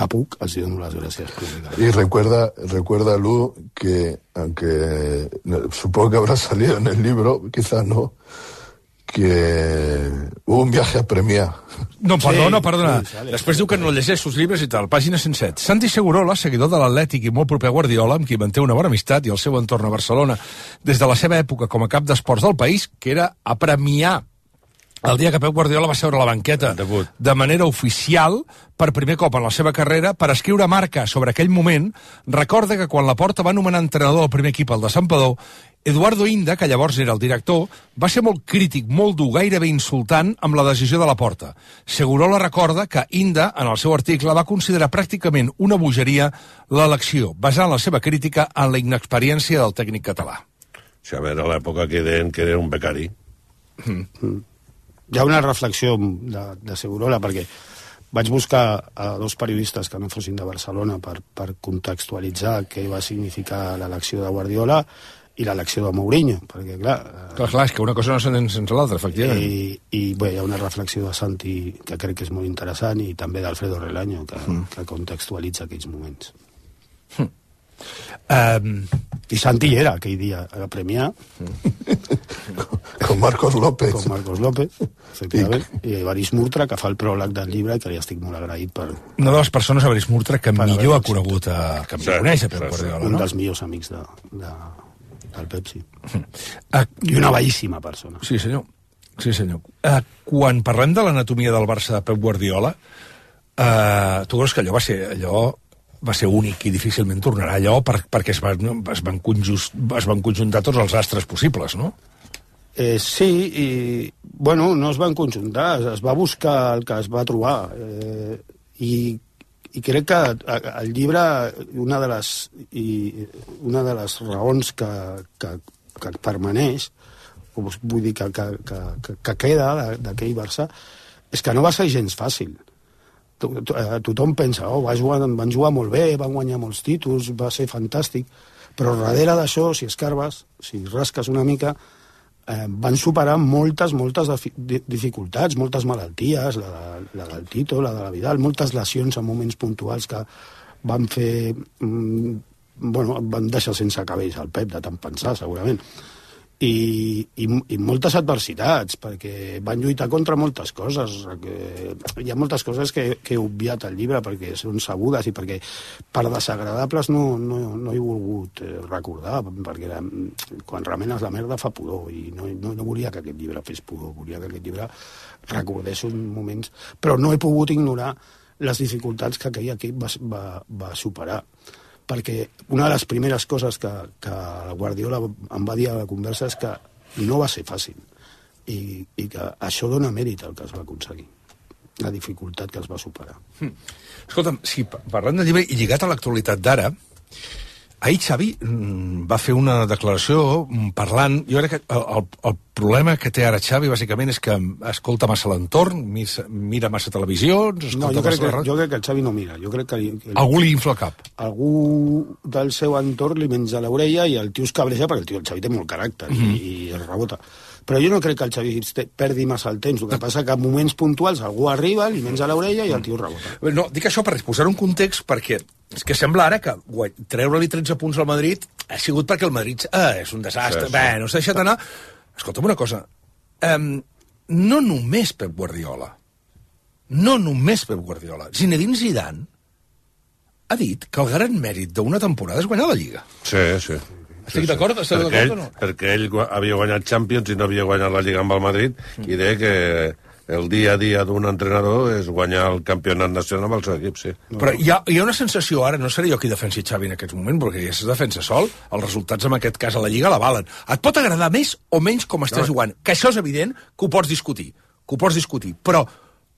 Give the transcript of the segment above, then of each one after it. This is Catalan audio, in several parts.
que puc, els dono les gràcies públicament. Y recuerda, Lu, que aunque supongo que habrá salido en el libro, quizás no, que hubo un viaje a Premià. No, perdona. Després diu que no llegeix els llibres i tal. Pàgina 107. Santi Segurola, seguidor de l'Atlètic i molt proper a Guardiola, amb qui manté una bona amistat i el seu entorn a Barcelona des de la seva època com a cap d'esports del país, que era a Premià el dia que Pep Guardiola va seure a la banqueta de manera oficial, per primer cop en la seva carrera, per escriure Marca sobre aquell moment, recorda que quan Laporta va nomenar entrenador del primer equip, el de Santpedor, Eduardo Inda, que llavors era el director, va ser molt crític, molt dur, gairebé insultant amb la decisió de Laporta. Segurola recorda que Inda, en el seu article, va considerar pràcticament una bogeria l'elecció, basant la seva crítica en la inexperiència del tècnic català. Sí, a veure, a l'època que deien que era un becari. Hi ha una reflexió de Segurola, perquè vaig buscar a dos periodistes que no fossin de Barcelona per contextualitzar què va significar l'elecció de Guardiola i l'elecció de Mourinho, perquè clar, és que una cosa no s'entén sense l'altra, efectivament. I bé, hi ha una reflexió de Santi que crec que és molt interessant, i també d'Alfredo Relaño, que contextualitza aquells moments. I Santi era aquell dia a Premià con Marcos López, efectivament, i Evarist Murtra, que fa el pròleg del llibre i que li estic molt agraït per... Una de les persones, Evarist Murtra, que millor ha conegut que em coneix a Pep Guardiola, un dels millors amics del Pepsi, i una bellíssima persona. Sí, senyor. Quan parlem de l'anatomia del Barça de Pep Guardiola, tu creus que allò va ser únic i difícilment tornarà allò perquè es van conjuntar tots els astres possibles, no? Sí, i bueno, no es van conjuntar, es va buscar el que es va trobar, i crec que el llibre, una de les raons que permaneix, vull dir que queda d'aquell Barça, és que no va ser gens fàcil. Tothom pensa, van jugar molt bé, van guanyar molts títols, va ser fantàstic, però darrere d'això, si escarbes, si rasques una mica, van superar moltes dificultats, moltes malalties, la del Tito, la de la Vidal, moltes lesions en moments puntuals que van fer... van deixar sense cabells al Pep, de tant pensar, segurament. I moltes adversitats, perquè van lluitar contra moltes coses. Hi ha moltes coses que he obviat al llibre perquè són sabudes i perquè per desagradables no he volgut recordar, perquè quan remenes la merda fa pudor, i no volia que aquest llibre fes pudor, volia que aquest llibre recordés uns moments, però no he pogut ignorar les dificultats que aquell equip va superar, perquè una de les primeres coses que Guardiola em va dir a la conversa és que no va ser fàcil, i que això dona mèrit al que es va aconseguir, la dificultat que es va superar. Escolta'm, si parlant del llibre i lligat a l'actualitat d'ara, ahir Xavi va fer una declaració parlant... Jo crec que el problema que té ara Xavi, bàsicament, és que escolta massa l'entorn, mira massa televisions... No, jo crec que el Xavi no mira. Jo crec que algú li infla el cap. Algú del seu entorn li menja l'orella i el tio es cabreja, perquè el Xavi té molt caràcter i es rebota. Però jo no crec que el Xavi perdi massa el temps. El que passa que en moments puntuals algú arriba, li menja l'orella i el tio rebota. No, dic això per posar un context, perquè és que sembla ara que treure-li 13 punts al Madrid ha sigut perquè el Madrid és un desastre. Sí. Bé, no s'ha deixat anar. Escolta'm una cosa. No només Pep Guardiola. Zinedine Zidane ha dit que el gran mèrit d'una temporada és guanyar la Lliga. Sí. Estic d'acord? Esteu d'acord o no? Perquè ell havia guanyat Champions i no havia guanyat la Lliga amb el Madrid, i deia que el dia a dia d'un entrenador és guanyar el campionat nacional amb el seu equip, sí. Però hi ha una sensació ara, no seré jo qui defensi Xavi en aquest moment, perquè ja es defensa sol, els resultats en aquest cas a la Lliga l'avalen. Et pot agradar més o menys com estàs jugant, que això és evident que ho pots discutir, però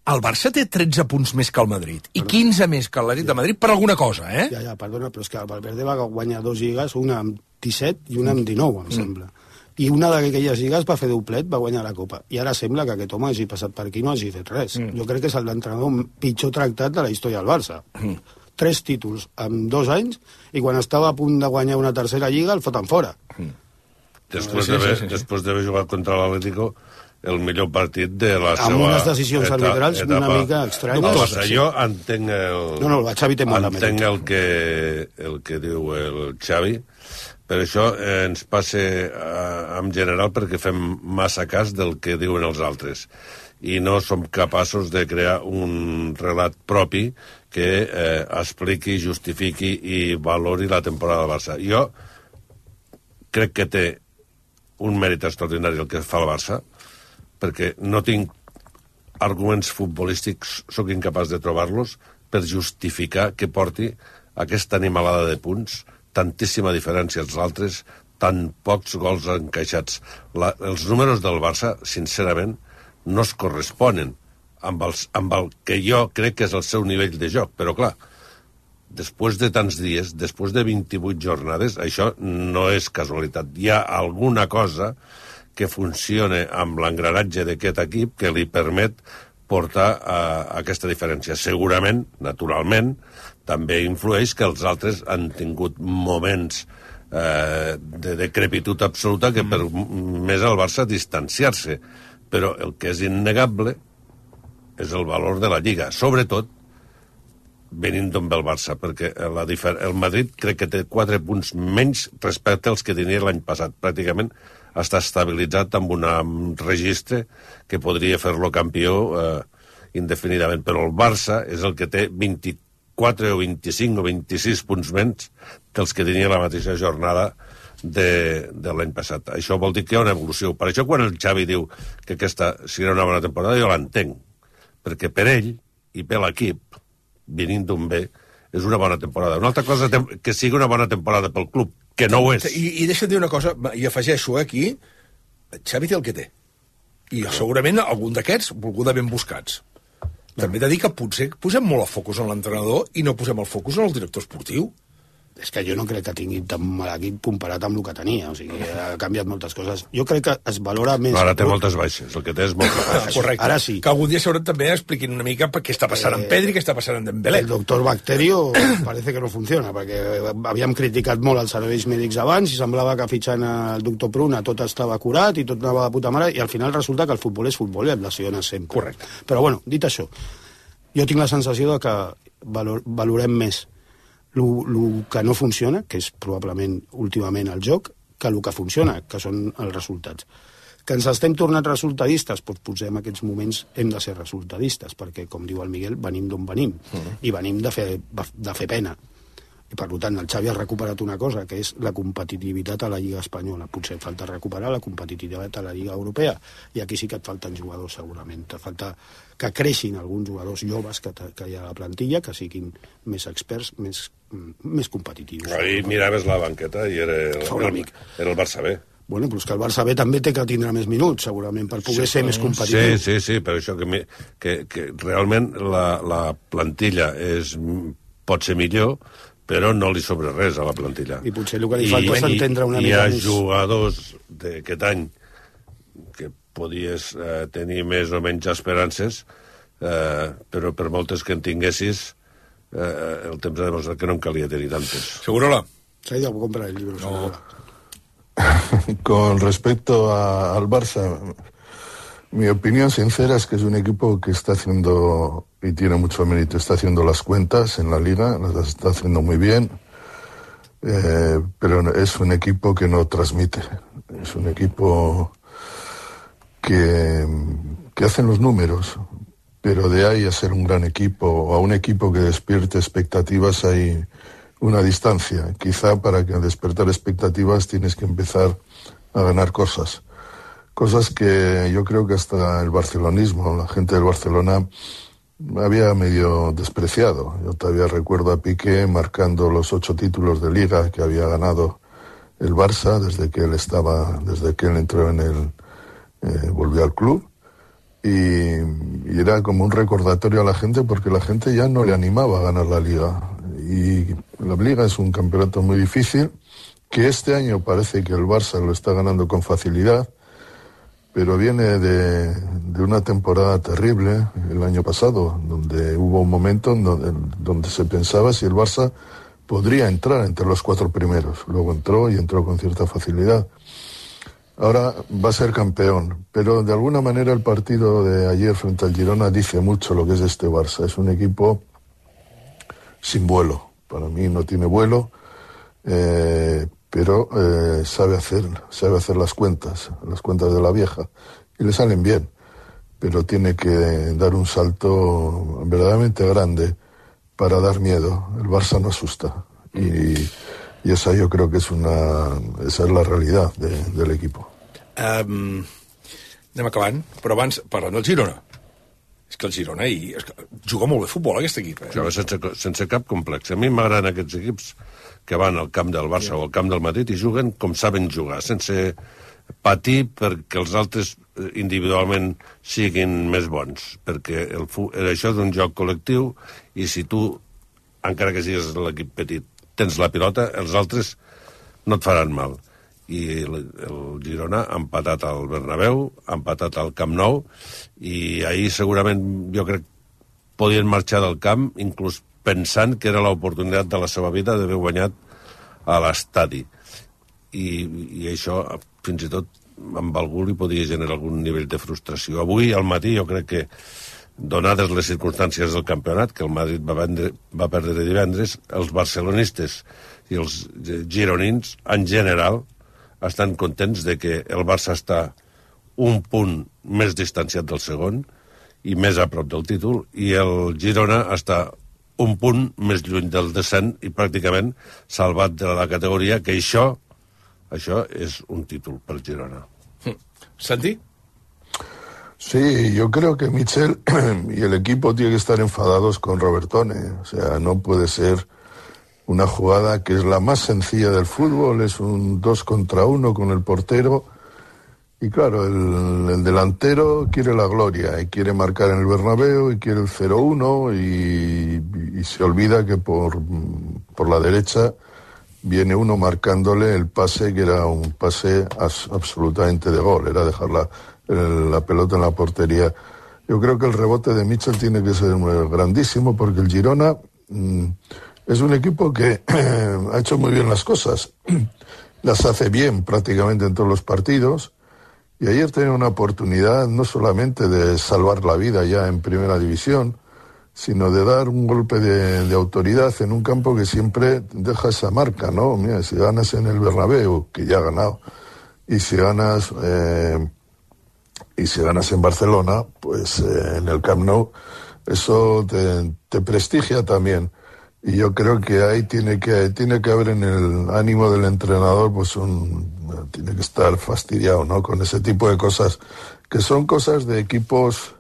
el Barça té 13 punts més que el Madrid i 15 més que l'Atlètic de Madrid per alguna cosa, eh? Ja, perdona, però és que el Valverde va guanyar 2 lligues, una amb 17 i una amb 19, em sembla. I una d'aquelles lligues va fer doblet, va guanyar la Copa. I ara sembla que aquest home hagi passat per aquí i no hagi fet res. Jo crec que és l'entrenador pitjor tractat de la història del Barça. 3 títols en 2 anys, i quan estava a punt de guanyar una tercera lliga el foten fora. Després d'haver jugat contra l'Atlético, el millor partit de la seva... Amb unes decisions arbitrals una mica estranyes. Jo entenc la Xavi té molt de mèrit. Entenc el que diu el Xavi, per això ens passa en general perquè fem massa cas del que diuen els altres i no som capaços de crear un relat propi que expliqui, justifiqui i valori la temporada del Barça. Jo crec que té un mèrit extraordinari el que fa el Barça, perquè no tinc arguments futbolístics, sóc incapaç de trobar-los, per justificar que porti aquesta animalada de punts, tantíssima diferència als altres, tan pocs gols encaixats. Els números del Barça, sincerament, no es corresponen amb el que jo crec que és el seu nivell de joc, però clar, després de tants dies, després de 28 jornades, això no és casualitat. Hi ha alguna cosa que funcione amb l'engranatge d'aquest equip que li permet portar aquesta diferència. Segurament, naturalment, també influeix que els altres han tingut moments de decrepitud absoluta que per més al Barça distanciar-se. Però el que és innegable és el valor de la Lliga, sobretot venint d'on ve el Barça, perquè el Madrid crec que té 4 punts menys respecte als que tenia l'any passat. Pràcticament està estabilitzat amb un registre que podria fer-lo campió indefinidament, però el Barça és el que té 24 o 25 o 26 punts menys dels que tenia la mateixa jornada de l'any passat. Això vol dir que hi ha una evolució. Per això quan el Xavi diu que aquesta serà una bona temporada, jo l'entenc, perquè per ell i per l'equip, venint d'on ve, és una bona temporada. Una altra cosa que sigui una bona temporada pel club, que no ho és. I deixa'm dir una cosa, i afegeixo aquí, Xavi té el que té. I segurament algun d'aquests volgudament buscats. També he de dir que potser posem molt el focus en l'entrenador i no posem el focus en el director esportiu. És que jo no crec que tingui tan mal equip comparat amb el que tenia, o sigui, ha canviat moltes coses. Jo crec que es valora més... Ara té moltes baixes, el que té és moltes baixes. Correcte. Ara sí. Que algun dia segurament també expliquin una mica què està passant amb Pedri, què està passant amb Dembélé. El doctor Bacterio parece que no funciona, perquè havíem criticat molt els serveis mèdics abans i semblava que fitxant el doctor Pruna tot estava curat i tot anava de puta mare, i al final resulta que el futbol és futbol i et lesiones sempre. Correcte. Però bueno, dit això, jo tinc la sensació de que valorem més el que no funciona, que és probablement últimament el joc, que el que funciona, que són els resultats. Que ens estem tornant resultadistes, doncs potser en aquests moments hem de ser resultadistes, perquè, com diu el Miguel, venim d'on venim, i venim de fer pena. I, per tant, el Xavi ha recuperat una cosa, que és la competitivitat a la Lliga Espanyola. Potser et falta recuperar la competitivitat a la Lliga Europea, i aquí sí que et falten jugadors, segurament. Et falta que creixin alguns jugadors joves que hi ha a la plantilla, que siguin més experts, més competitius. Ahir miraves la banqueta i era el Barça B. Bueno, però és que el Barça B també té que tindre més minuts, segurament, per poder ser més competitiu. Sí, per això que realment la plantilla pot ser millor, però no li sobra res a la plantilla. I potser el que li falta és entendre una mica més... Hi ha jugadors d'aquest any que podies tenir més o menys esperances, però per moltes que en tinguessis, el temps ha demostrat que no en calia tenir tantes. Segurola. S'ha ido a comprar el libro, Segurola. Con respecto al Barça, mi opinión sincera es que es un equipo que está haciendo, y tiene mucho mérito, está haciendo las cuentas en la Liga, las está haciendo muy bien, pero es un equipo que no transmite. Es un equipo que hacen los números, pero de ahí a ser un gran equipo, o a un equipo que despierte expectativas, hay una distancia. Quizá para que despertar expectativas tienes que empezar a ganar cosas que yo creo que hasta el barcelonismo, la gente del Barcelona, había medio despreciado. Yo todavía recuerdo a Piqué marcando los 8 títulos de Liga que había ganado el Barça desde que él entró volvió al club, y era como un recordatorio a la gente, porque la gente ya no le animaba a ganar la Liga. Y la Liga es un campeonato muy difícil, que este año parece que el Barça lo está ganando con facilidad, pero viene de una temporada terrible el año pasado, donde hubo un momento donde se pensaba si el Barça podría entrar entre los 4 primeros. Luego entró con cierta facilidad. ahora va a ser campeón, pero de alguna manera el partido de ayer frente al Girona dice mucho lo que es este Barça. Es un equipo sin vuelo, para mí no tiene vuelo, pero sabe hacer las cuentas de la vieja, y le salen bien, pero tiene que dar un salto verdaderamente grande para dar miedo. El Barça no asusta, y esa yo creo que esa es la realidad del equipo. Anem acabant, però abans, parlant del Girona. És que el Girona juga molt bé futbol, aquest equip. Sense cap complex. A mi m'agraden aquests equips que van al camp del Barça o al camp del Madrid i juguen com saben jugar, sense patir perquè els altres individualment siguin més bons, perquè això és un joc col·lectiu, i si tu, encara que siguis l'equip petit, tens la pilota, els altres no et faran mal. I el Girona ha empatat al Bernabéu, ha empatat al Camp Nou, i ahir segurament jo crec podien marxar del camp inclús pensant que era l'oportunitat de la seva vida d'haver guanyat a l'estadi. I això fins i tot amb algú li podia generar algun nivell de frustració. Avui al matí jo crec que, donades les circumstàncies del campionat, que el Madrid va perdre divendres, els barcelonistes i els gironins en general estan contents de que el Barça està un punt més distanciat del segon i més a prop del títol, i el Girona està un punt més lluny del descens i pràcticament salvat de la categoria, que això és un títol per Girona. Santi? Sí, yo creo que Michel y el equipo tienen que estar enfadados con Robertone. O sea, no puede ser una jugada que es la más sencilla del fútbol, es un 2 contra 1 con el portero, y claro, el delantero quiere la gloria y quiere marcar en el Bernabéu y quiere el 0-1, y se olvida que por la derecha viene uno marcándole el pase, que era un pase absolutamente de gol, era dejar la pelota en la portería. Yo creo que el rebote de Michel tiene que ser grandísimo, porque el Girona es un equipo que ha hecho muy bien las cosas, las hace bien prácticamente en todos los partidos, y ayer tenía una oportunidad no solamente de salvar la vida ya en primera división, sino de dar un golpe de autoridad en un campo que siempre deja esa marca, ¿no? Mira, si ganas en el Bernabéu, que ya ha ganado, y si ganas en Barcelona, pues en el Camp Nou, eso te prestigia también. Y yo creo que ahí tiene que haber en el ánimo del entrenador, pues tiene que estar fastidiado, ¿no? Con ese tipo de cosas, que son cosas de equipos,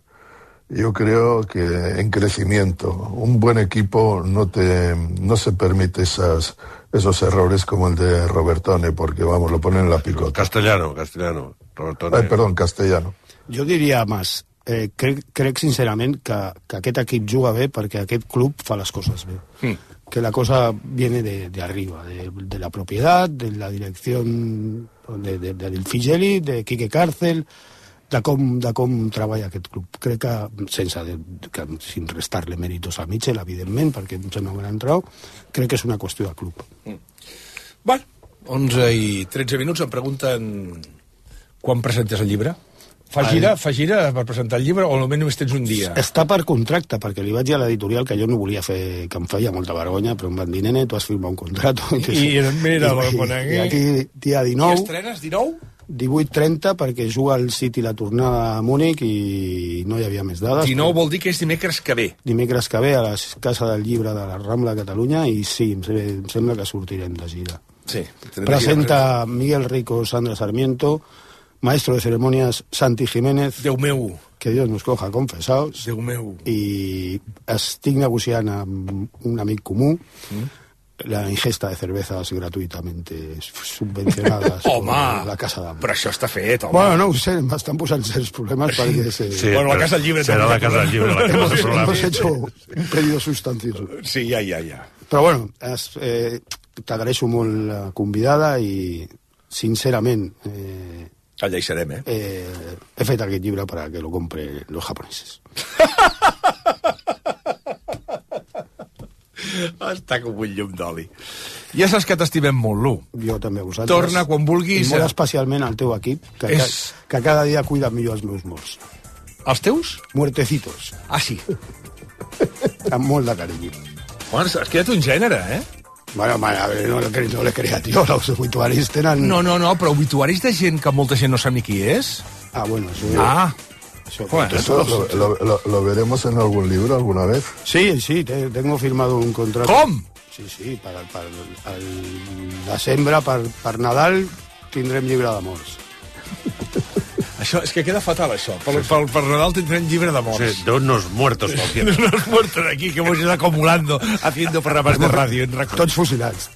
yo creo que en crecimiento. Un buen equipo no se permite esos errores como el de Robertone, porque vamos, lo ponen en la picota. Castellano, Robertone. Ai, perdó, Castellano. Jo diria més, crec sincerament que aquest equip juga bé perquè aquest club fa les coses bé. Que la cosa viene de arriba, de la propiedad, de la dirección del Figeli, de Quique Cárcel, de com treballa aquest club. Crec que, sin restar-le mèritos a Michel, evidentment, perquè em sembla un gran trau, crec que és una qüestió de club. Bueno, 11 i 13 minuts, em pregunten quan presentes el llibre. Fa gira per presentar el llibre, o almenys només tens un dia? Està per contracte, perquè li vaig dir a l'editorial que jo no volia fer, que em feia molta vergonya, però em van dir, nene, tu has firmat un contrato. I mira, lo conegué. I aquí, dia 19... I estrenes 19? 18:30, perquè juga el City la tornada a Múnich i no hi havia més dades. 19 vol dir que és dimecres que ve. Dimecres que ve a la Casa del Llibre de la Rambla de Catalunya, i sí, em sembla que sortirem de gira. Sí. Presenta Miguel Rico, Sandra Sarmiento, maestro de ceremonias Santi Jiménez, Déu meu, que Dios nos coja confesados, Déu meu, i estic negociant amb un amic comú la ingesta de cervezas gratuitamente subvencionadas por la Casa d'Am. Però això està fet, home. Bueno, no ho sé, m'estan posant certs problemes perquè... Sí, bueno, la Casa del Llibre... Serà la Casa del Llibre, la Casa del Llibre. Hemos hecho un pedido sustancioso. Sí, ja. Però bueno, t'agraeixo molt la convidada i, sincerament... Allà hi serem, he fet aquest llibre para que lo compre los japoneses. Està com un llum d'oli. Ja saps que t'estimem molt, Lu. Jo també, vosaltres. Torna quan vulguis. I molt especialment al teu equip, que cada dia cuida millor els meus morts. Els teus? Muertecitos. Ah, sí. Amb molt de carinyo. Bueno, has quedat un gènere, eh? Bueno, a ver, no le creas, tío. Los obituaris tenen... No, però obituaris de gent que molta gent no sap ni qui és? Ah, bueno, eso... ¿Eso lo veremos en algún libro alguna vez? Sí, tengo firmado un contrato. Com? Sí, per desembre, per Nadal, tindrem llibre d'amors. Això, és que queda fatal, això. Per Nadal tindrem llibre d'amors. Sí, de unos muertos cualquiera. De unos muertos aquí que hemos ido acumulando haciendo programas de radio. Tots fusilats.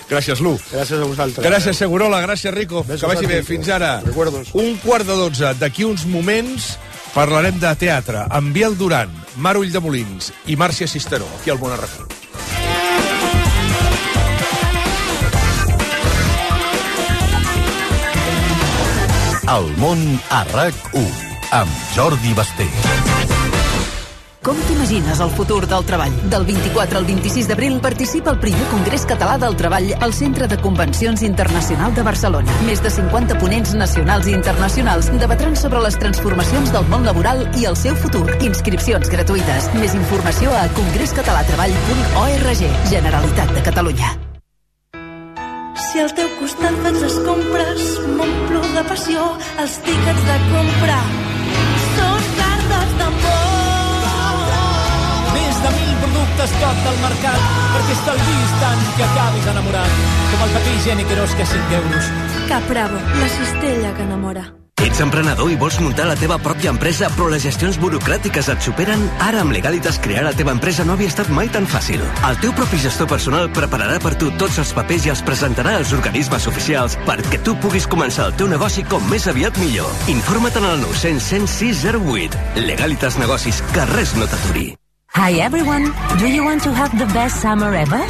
Gràcies, Lu. Gràcies a vosaltres. Gràcies, Segurola. Gràcies, Rico. Besos, que vagi bé. Rico. Fins ara. Recuerdos. 11:45. D'aquí uns moments parlarem de teatre amb Biel Duran, Mar Ulldemolins i Màrcia Cisteró, aquí al Món Arracó. El món a RAC1 amb Jordi Basté. Com t'imagines el futur del treball? Del 24 al 26 d'abril participa al primer Congrés Català del Treball al Centre de Convencions Internacional de Barcelona. Més de 50 ponents nacionals i internacionals debatran sobre les transformacions del món laboral i el seu futur. Inscripcions gratuïtes. Més informació a congrescatalatraball.org. Generalitat de Catalunya. Si al teu costat faig les compres, m'omplo de passió, els tíquets de compra són cartes d'amor. Més de 1.000 productes top del mercat perquè estalvis tant que acabis enamorat. Com el paper higiènic Eros, que 5 euros. Cap Bravo, la cistella que enamora. Ets emprenedor i vols muntar la teva pròpia empresa, però les gestions burocràtiques et superen? Ara amb Legalitas crear la teva empresa no havia estat mai tan fàcil. El teu propi gestor personal prepararà per tu tots els papers i els presentarà als organismes oficials perquè tu puguis començar el teu negoci com més aviat millor. Informa't en el 900 106 08. Legalitas Negocis, que res no t'aturi. Hi everyone, do you want to have the best summer ever?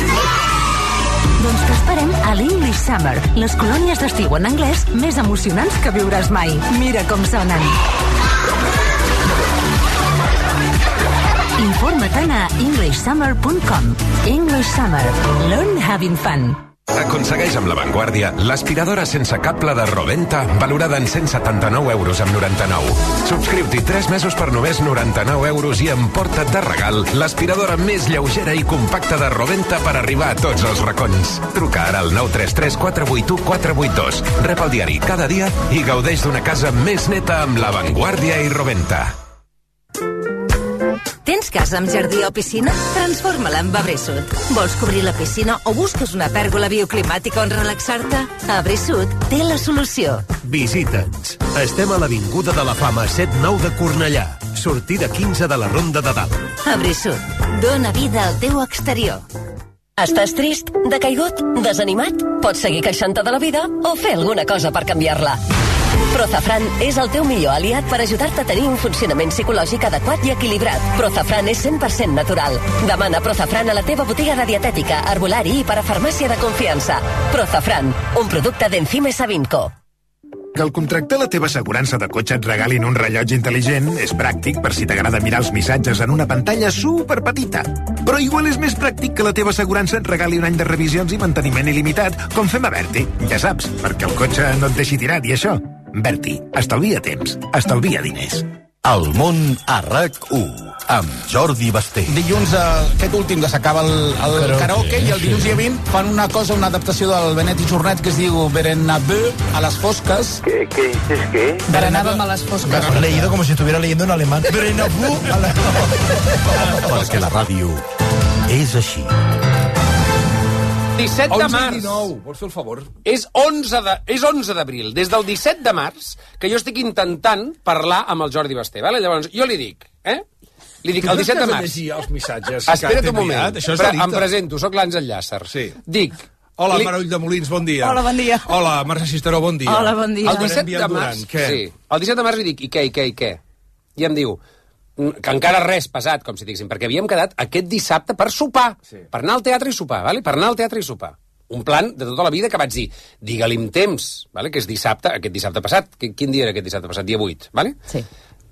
Doncs t'esperem a l'English Summer, les colònies d'estiu en anglès més emocionants que viuràs mai. Mira com sonen. Informa't a englishsummer.com. English Summer. Learn having fun. Aconsegueix amb La Vanguardia l'aspiradora sense cable de Roventa, valorada en 179 euros amb 99. Subscriu-t'hi 3 mesos per només 99 euros i emporta't de regal l'aspiradora més lleugera i compacta de Roventa per arribar a tots els racons. Truca ara al 933 481 482. Rep el diari cada dia i gaudeix d'una casa més neta amb La Vanguardia i Roventa. Tens casa amb jardí o piscina? Transforma-la en Abresud. Vols cobrir la piscina o busques una pèrgola bioclimàtica on relaxar-te? Abresud té la solució. Visita'ns. Estem a l'Avinguda de la Fama 7-9 de Cornellà. Sortida 15 de la Ronda de Dalt. Abresud. Dóna vida al teu exterior. Estàs trist? Decaigut? Desanimat? Pots seguir queixant-te de la vida o fer alguna cosa per canviar-la. Prozafran és el teu millor aliat per ajudar-te a tenir un funcionament psicològic adequat i equilibrat. Prozafran és 100% natural. Demana Prozafran a la teva botiga de dietètica, herbolari i parafarmàcia de confiança. Prozafran, un producte d'Enzime Savinco. Que al contractar la teva assegurança de cotxe et regalin un rellotge intel·ligent és pràctic per si t'agrada mirar els missatges en una pantalla superpetita. Però igual és més pràctic que la teva assegurança et regali un any de revisions i manteniment il·limitat, com fem a Berti. Ja saps, perquè el cotxe no et deixi tirat i això. Berti, estalvia temps, estalvia diners. El món a RAC1 amb Jordi Basté. Dilluns, aquest últim, que s'acaba el karaoke, i el dilluns dia 20 fan una cosa, una adaptació del Benet i Jornet que es diu Berenabeu a las foscas. ¿Qué dices qué? Berenàvem a les fosques. Leído como si estuviera leyendo en alemán. Berenabeu a las Perquè la ràdio és així. 17 de març. 19, vols fer el favor? És 11 d'abril. Des del 17 de març que jo estic intentant parlar amb el Jordi Basté. Vale? Llavors, jo li dic, Li dic, el 17 de març... els missatges? Espera't un moment. Em presento, sóc l'Àngel Llàcer. Sí. Dic... Hola, Mar Ulldemolins, bon dia. Hola, bon dia. Hola, Màrcia Cisteró, bon dia. Hola, bon dia. El 17 de març... Sí. El 17 de març li dic, i què? I em diu... que encara res passat, com si diguéssim, perquè havíem quedat aquest dissabte per sopar, per anar al teatre i sopar, vale? Per anar al teatre i sopar. Un plan de tota la vida que vaig dir, digue-li amb temps, vale? Que és dissabte, aquest dissabte passat. Quin dia era aquest dissabte passat? Dia 8, vale? Sí.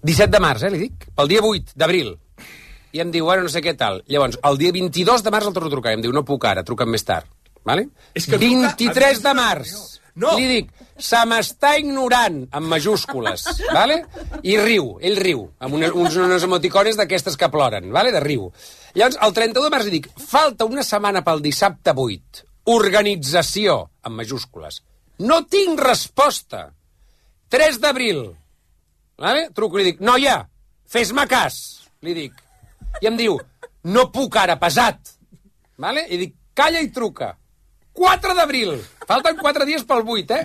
17 de març, li dic, pel dia 8 d'abril. I em diu, bueno, no sé què tal. Llavors, el dia 22 de març el torno a trucar. I em diu, no puc ara, truca'm més tard. Vale? 23 de març. No. Li dic, se m'està ignorant, amb majúscules, vale? I riu, ell riu, amb unes emoticones d'aquestes que ploren, vale? De riu. Llavors, el 31 de març li dic, falta una setmana pel dissabte 8, organització, amb majúscules. No tinc resposta. 3 d'abril, vale? Truco i li dic, noia, fes-me cas, li dic. I em diu, no puc ara, pesat. Vale? I dic, calla i truca. 4 d'abril, falten 4 dies pel 8,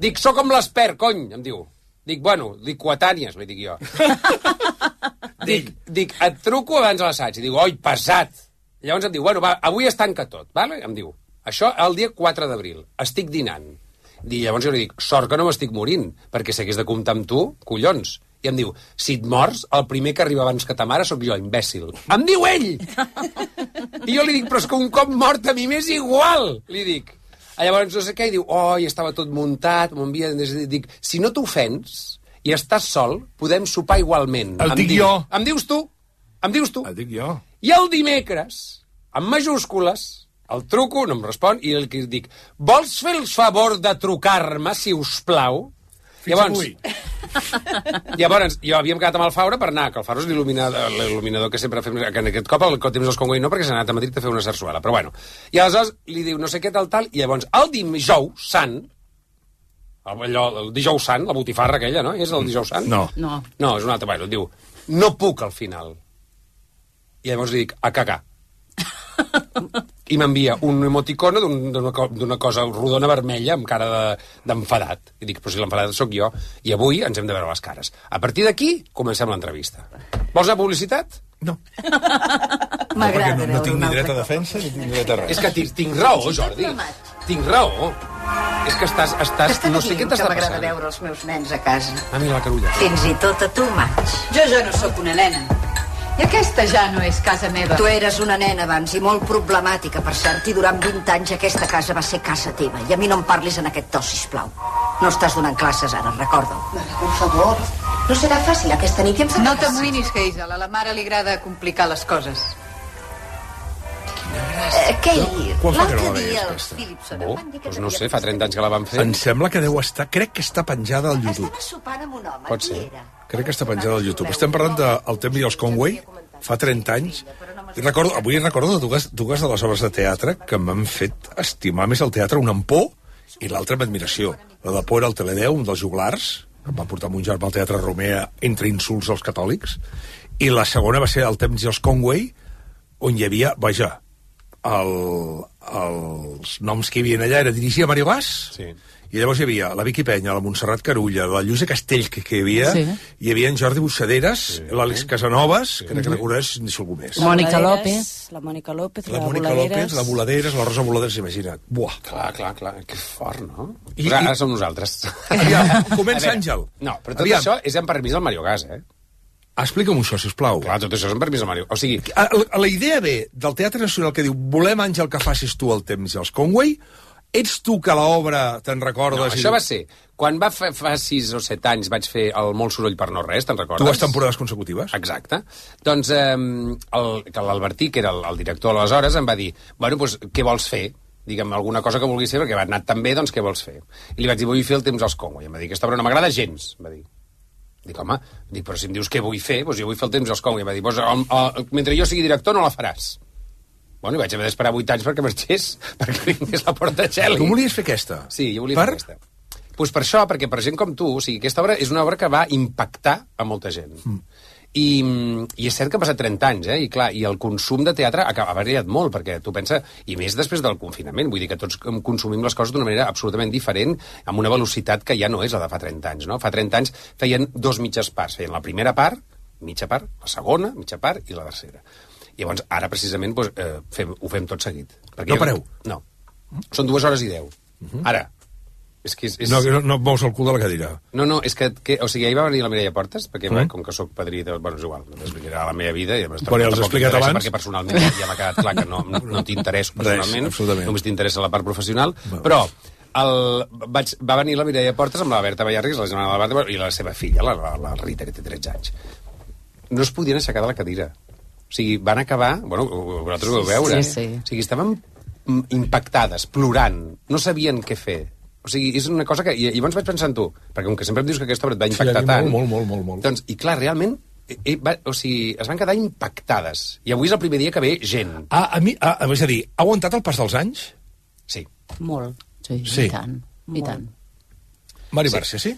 Dic, sóc com l'Espert, cony, em diu. Dic, bueno, dic coetànies, li dic jo. dic, et truco abans de l'assaig. I dic, oi, pesat. Llavors em diu, bueno, va, avui es tanca tot, vale? Em diu, això el dia 4 d'abril, estic dinant. I llavors jo li dic, sort que no m'estic morint, perquè si hagués de comptar amb tu, collons. I em diu, si et mors, el primer que arriba abans que ta mare sóc jo, imbècil. Em diu ell! I jo li dic, però és que un cop mort a mi m'és igual, li dic. Llavors no sé què, i diu, oi, estava tot muntat, m'envia... Dic, si no t'ofens i estàs sol, podem sopar igualment. El dic jo. Em dius tu. El dic jo. I el dimecres, amb majúscules, el truco, no em respon, i el que dic, vols fer el favor de trucar-me, si us plau? Llavors, jo havíem quedat amb el Faura per anar, que el Faura és l'il·luminador que sempre fem, que en aquest cop el temps dels Conway no, perquè s'ha anat a Madrid a fer una sarsuela, però bueno. I aleshores li diu no sé què tal, i llavors el dijous sant, el dijous sant, la botifarra aquella, no? És el dijous sant? No. No, és un altre, bueno, diu, no puc al final. I llavors li dic, a cagar. I m'envia un emoticono d'una cosa rodona vermella amb cara d'enfadat. I dic, però si l'enfadat sóc jo, i avui ens hem de veure les cares. A partir d'aquí, comencem l'entrevista. Vols anar a publicitat? No. M'agrada no tinc ni dret a defensa ni tinc dret a res. És que tinc raó, Jordi. Tinc raó. És que estàs no sé què t'està passant. M'agrada veure els meus nens a casa. A mi la Carulla. Fins i tot a tu, maig. Jo ja no sóc una nena. I aquesta ja no és casa meva. Tu eres una nena abans i molt problemàtica, per cert, i durant 20 anys aquesta casa va ser casa teva. I a mi no em parlis en aquest to, sisplau. No estàs donant classes ara, recorda-ho. Per favor, no serà fàcil aquesta nit. No t'amoïnis, Hazel. A la mare li agrada complicar les coses. Kay, Quan fa que no la l'altre veies, dia els aquesta? Philipson... Doncs no sé, fa 30 anys que la van fer. Em sembla que deu estar... Crec que està penjada al YouTube. Estava sopant amb un home. Pot ser. Crec que està penjada al YouTube. Estem parlant del temps i els Conway, fa 30 anys. Avui recordo dues de les obres de teatre que m'han fet estimar més el teatre, una amb por i l'altra amb admiració. La de por era el Teledeu, un dels juglars, que em va portar mon germà al Teatre Romea entre insults als catòlics, i la segona va ser el temps i els Conway, on hi havia, vaja, els noms que hi havia allà era dirigir a Mario Gas, sí. I llavors hi havia la Vicky Penya, la Montserrat Carulla, la Lluïsa Castells, que hi havia, sí. Hi havia en Jordi Buixaderes, sí. L'Àlex Casanovas, que crec que recordés, ni si algú més. La Mònica López, la Mònica López, la Voladeres, la Rosa Voladeres, imagina't. Buah. Clar, que fort, no? Ara som nosaltres. Aviam, comença Àngel. No, però tot això és amb permís del Mario Gas, Explica'm això, sisplau. Clar, tot això és amb permís del Mario. O sigui... La idea ve del Teatre Nacional que diu volem, Àngel, que facis tu el temps i els Conway. Ets tu que l'obra te'n recordes? No, això va ser... Quan fa 6 o 7 anys vaig fer el Molt soroll per no res, te'n recordes? 2 temporades consecutives. Exacte. Doncs l'Albertí, que era el director aleshores, em va dir, bueno, doncs, què vols fer? Digue'm, alguna cosa que vulguis fer, perquè va anar tan bé, doncs què vols fer? I li vaig dir, vull fer el temps als Conway. I em va dir, aquesta obra no m'agrada gens, va dir. Dic, home, però si em dius què vull fer, doncs jo vull fer el temps als Conway. I em va dir, doncs, mentre jo sigui director no la faràs. Bueno, i vaig haver d'esperar 8 anys perquè marxés, perquè vingués la Portacelli. Tu volies fer aquesta? Sí, jo volia fer aquesta. Doncs per això, perquè per gent com tu, o sigui, aquesta obra és una obra que va impactar a molta gent. I és cert que ha passat 30 anys, i clar, i el consum de teatre ha variat molt, perquè tu pensa, i més després del confinament, vull dir que tots consumim les coses d'una manera absolutament diferent, amb una velocitat que ja no és la de fa 30 anys, no? Fa 30 anys feien 2 mitges parts, feien la primera part, mitja part, la segona, mitja part, i la tercera. I llavors, ara, precisament, doncs, ho fem tot seguit. Perquè no pareu? No. Són 2 hores i 10. Ara. És que és... No et mous el cul de la cadira. No, és que... O sigui, ahir va venir la Mireia Portes, perquè com que sóc padrí de... Bueno, és igual, m'explicarà la meva vida. Però ja els he explicat abans. Perquè personalment ja m'ha quedat clar que no t'interesso personalment. Només t'interessa la part professional. Però va venir la Mireia Portes amb la Berta Ballarris, la germana de la Berta, i la seva filla, la Rita, que té 13 anys. No es podien aixecar de la cadira. O sigui, van acabar... Bueno, vosaltres ho vau veure. Sí. O sigui, estaven impactades, plorant, no sabien què fer. O sigui, és una cosa que... I llavors vaig pensar en tu, perquè com que sempre em dius que aquesta obra et va impactar tant... Molt. Doncs, i clar, realment, o sigui, es van quedar impactades. I avui és el primer dia que ve gent. És a dir, ha aguantat el pas dels anys? Sí. Molt. Sí. I tant. Mari Bárcia, sí?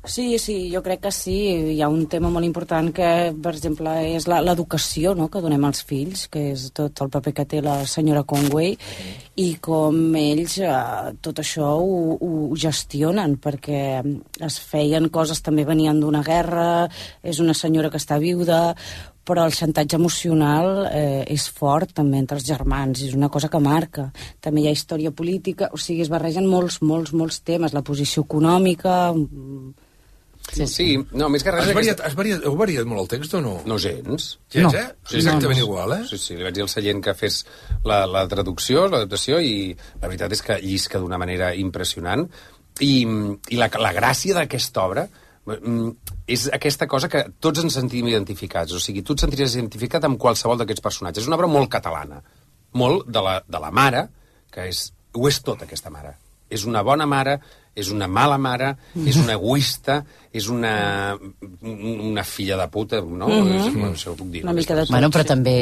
Sí, jo crec que sí. Hi ha un tema molt important que, per exemple, és l'educació, no?, que donem als fills, que és tot el paper que té la senyora Conway, i com ells tot això ho gestionen, perquè es feien coses, també venien d'una guerra, és una senyora que està viuda, però el xantatge emocional és fort també entre els germans, és una cosa que marca. També hi ha història política, o sigui, es barregen molts temes, la posició econòmica... Sí, no, més que res... Heu variat molt el text o no? No gens. Gens, eh? És exactament igual, eh? Sí, li vaig dir al Sallent que fes la traducció, l'adaptació, i la veritat és que llisca d'una manera impressionant. I la gràcia d'aquesta obra és aquesta cosa que tots ens sentim identificats. O sigui, tu et sentiries identificat amb qualsevol d'aquests personatges. És una obra molt catalana. Molt de la mare, que ho és tot, aquesta mare. És una bona mare, és una mala mare, és una egoista, és una filla de puta, no? Això ho puc dir. Una mica de tot. Bueno, però també...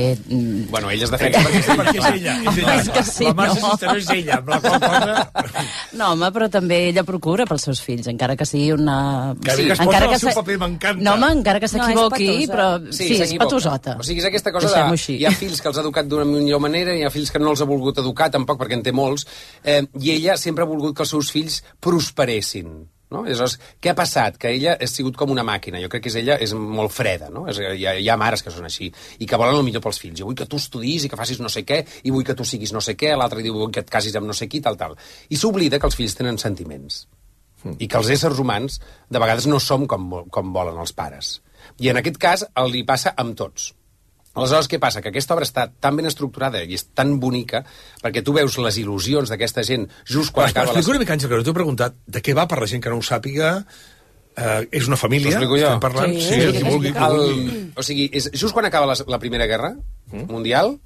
Bueno, ella es defensa perquè és ella. És que sí, la Marcia Cisteró és ella, amb la qual cosa... No, home, però també ella procura pels seus fills, encara que sigui una... Que bé que es posa el seu paper, m'encanta. No, home, encara que s'equivoqui, però sí, és patosota. O sigui, és aquesta cosa de... Hi ha fills que els ha educat d'una millor manera, hi ha fills que no els ha volgut educar, tampoc, perquè en té molts, i ella sempre ha volgut que els seus fills prosperessin. No? Aleshores, què ha passat? Que ella ha sigut com una màquina. Jo crec que ella és molt freda, no? Hi ha mares que són així, i que volen el millor pels fills. Jo vull que tu estudis i que facis no sé què, i vull que tu siguis no sé què, l'altre diu vull que et casis amb no sé qui, tal. I s'oblida que els fills tenen sentiments. I que els éssers humans, de vegades, no som com volen els pares. I en aquest cas, li passa amb tots. Aleshores, què passa? Que aquesta obra està tan ben estructurada i és tan bonica perquè tu veus les il·lusions d'aquesta gent just quan acaba... Explico una mica, Àngel, que no t'he preguntat de què va per la gent que no ho sàpiga. És una família, estem parlant? Sí, qui vulgui. O sigui, just quan acaba la Primera Guerra Mundial,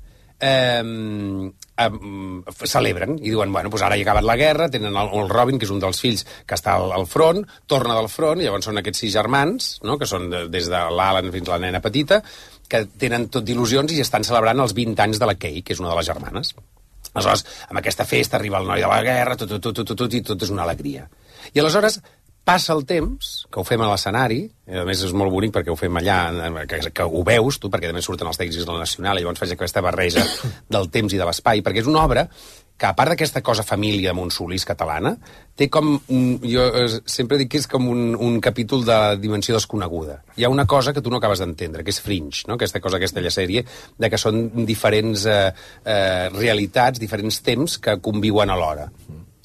celebren i diuen, bueno, doncs ara ha acabat la guerra, tenen el Robin, que és un dels fills que està al front, torna del front, i llavors són aquests 6 germans, no?, que són des de l'Alan fins a la nena petita, que tenen tot d'il·lusions i estan celebrant els 20 anys de la Kay, que és una de les germanes. Aleshores, amb aquesta festa arriba el noi de la guerra, i tot és una alegria. I aleshores passa el temps, que ho fem a l'escenari, i a més és molt bonic perquè ho fem allà, que ho veus tu, perquè també surten els tècnics de la Nacional, i llavors faig aquesta barreja del temps i de l'espai, perquè és una obra que, a part d'aquesta cosa família Montsolís catalana, té com... Jo sempre dic que és com un capítol de dimensió desconeguda. Hi ha una cosa que tu no acabes d'entendre, que és Fringe, no?, aquesta cosa, aquesta sèrie, de que són diferents realitats, diferents temps que conviuen alhora.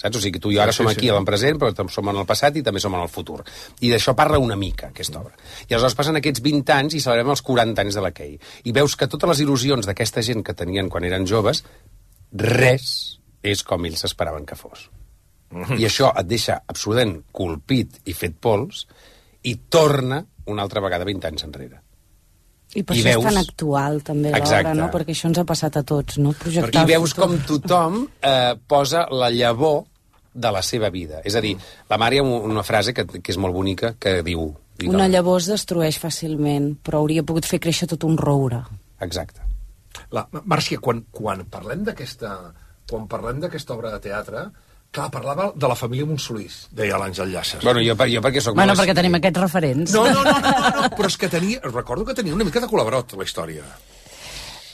Saps? O sigui, tu i jo ara som aquí en el present, però som en el passat i també som en el futur. I d'això parla una mica, aquesta obra. I aleshores passen aquests 20 anys i celebrem els 40 anys de la Kay. I veus que totes les il·lusions d'aquesta gent que tenien quan eren joves, res és com ells s'esperaven que fos. I això et deixa absolutament colpit i fet pols i torna una altra vegada 20 anys enrere. I per això és tan actual, també, l'obra, no? Perquè això ens ha passat a tots, no? I veus com tothom posa la llavor de la seva vida. És a dir, la Mare hi ha una frase que és molt bonica, que diu... Una llavor es destrueix fàcilment, però hauria pogut fer créixer tot un roure. Exacte. Màrcia, quan parlem d'aquesta obra de teatre, clar, parlava de la família Montsolís, deia l'Àngel Llaces. Bueno, jo perquè soc... Bueno, perquè tenim aquests referents. No, però és que recordo que tenia una mica de col·laborot, la història.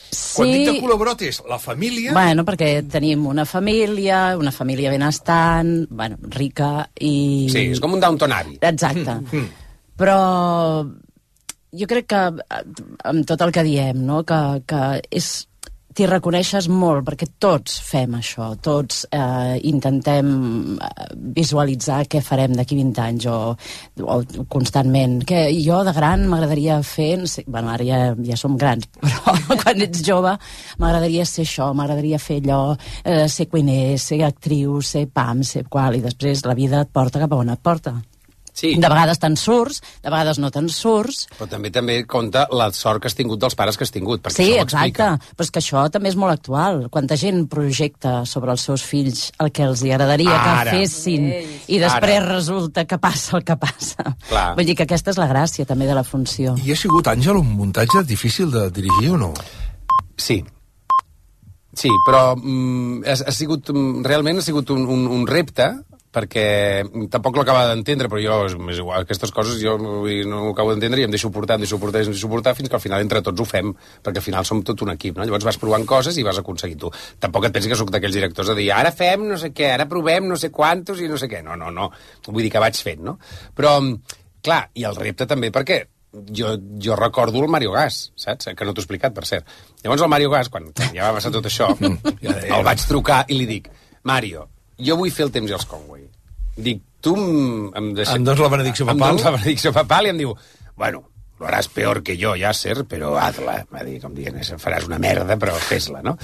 Sí. Quan dic de col·laborot és la família... Bueno, perquè tenim una família benestant, bueno, rica i... Sí, és com un Downton Abbey. Exacte. Però jo crec que amb tot el que diem, no?, que és... T'hi reconeixes molt, perquè tots fem això, tots intentem visualitzar què farem d'aquí 20 anys o constantment. Que jo de gran m'agradaria fer... Bueno, ara ja som grans, però quan ets jove m'agradaria ser això, m'agradaria fer allò, ser cuiner, ser actriu, ser pam, ser qual, i després la vida et porta cap a on et porta. Sí. De vegades te'n surts, de vegades no te'n surts. Però també compta la sort que has tingut dels pares que has tingut, perquè Sí, això ho exacte, explica. però és que això també és molt actual. Quanta gent projecta sobre els seus fills el que els agradaria que fessin i després resulta que passa el que passa. Clar. Vull dir que aquesta és la gràcia també de la funció. I ha sigut, Àngel, un muntatge difícil de dirigir o no? Sí. Sí, però realment ha sigut un repte, perquè tampoc l'acaba d'entendre, però jo, és igual, aquestes coses jo no ho acabo d'entendre i em deixo portar, fins que al final entre tots ho fem, perquè al final som tot un equip, no? Llavors vas provant coses i vas aconseguir tu. Tampoc et pensi que sóc d'aquells directors de dir ara fem no sé què, ara provem no sé quantos i no sé què. No. Vull dir que vaig fent, no? Però, clar, i el repte també perquè jo recordo el Mario Gas, saps? Que no t'ho he explicat, per cert. Llavors el Mario Gas, quan ja va passar tot això, el vaig trucar i li dic, Mario, jo vull fer el temps i els Conway. Dic, tu em deixes... Em dones la benedicció papal? Em dones la benedicció papal i em diu, bueno, lo haràs peor que jo, Yasser, però hazla. Va dir, com dient, faràs una merda, però fes-la, no?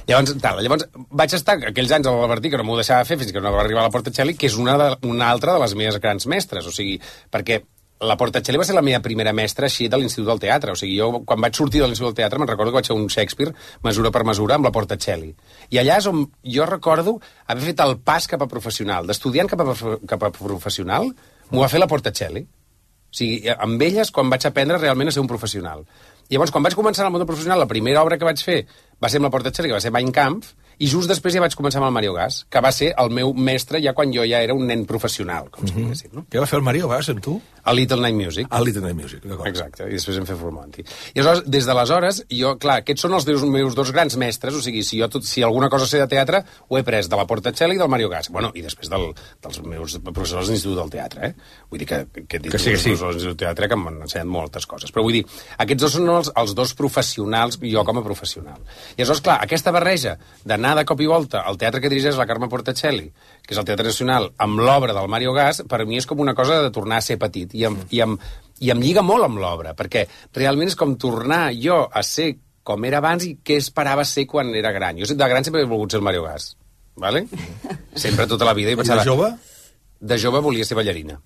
Llavors vaig estar aquells anys a l'Albertí, que no m'ho deixava fer fins que no va arribar a la Portacelli, que és una altra de les meves grans mestres, o sigui, perquè la Portacelli va ser la meva primera mestra així de l'Institut del Teatre. O sigui, jo quan vaig sortir de l'Institut del Teatre me'n recordo que vaig fer un Shakespeare mesura per mesura amb la Portacelli. I allà és on jo recordo haver fet el pas cap a professional. D'estudiant cap a professional m'ho va fer la Portacelli. O sigui, amb elles quan vaig aprendre realment a ser un professional. I llavors, quan vaig començar en el món professional, la primera obra que vaig fer va ser amb la Portacelli, que va ser Mein Kampf, i just després ja vaig començar amb el Mario Gas, que va ser el meu mestre ja quan jo ja era un nen professional, com si diguéssim, no? Què va fer el Mario Gas amb tu? A Little Night Music. A Little Night Music, d'acord. Exacte, i després hem fet Full Monty. I aleshores, des d'aleshores, jo, clar, aquests són els meus dos grans mestres, o sigui, si alguna cosa sé de teatre, ho he pres de la Portacelli i del Mario Gas. Bueno, i després dels meus professors de l'Institut del Teatre, Vull dir que he dit els professors de l'Institut del Teatre que m'han ensenyat moltes coses. Però vull dir, aquests dos són els dos professionals, jo com a professional. I aleshores, clar, aquesta barreja d'anar de cop i volta al teatre que dirigeix la Carme Portacelli, que és el Teatre Nacional, amb l'obra del Mario Gas, per mi és com una cosa de tornar a ser petit. I em lliga molt amb l'obra, perquè realment és com tornar jo a ser com era abans i què esperava ser quan era gran. Jo de gran sempre he volgut ser el Mario Gas, ¿vale? Sempre tota la vida. I de jove? De jove volia ser ballarina.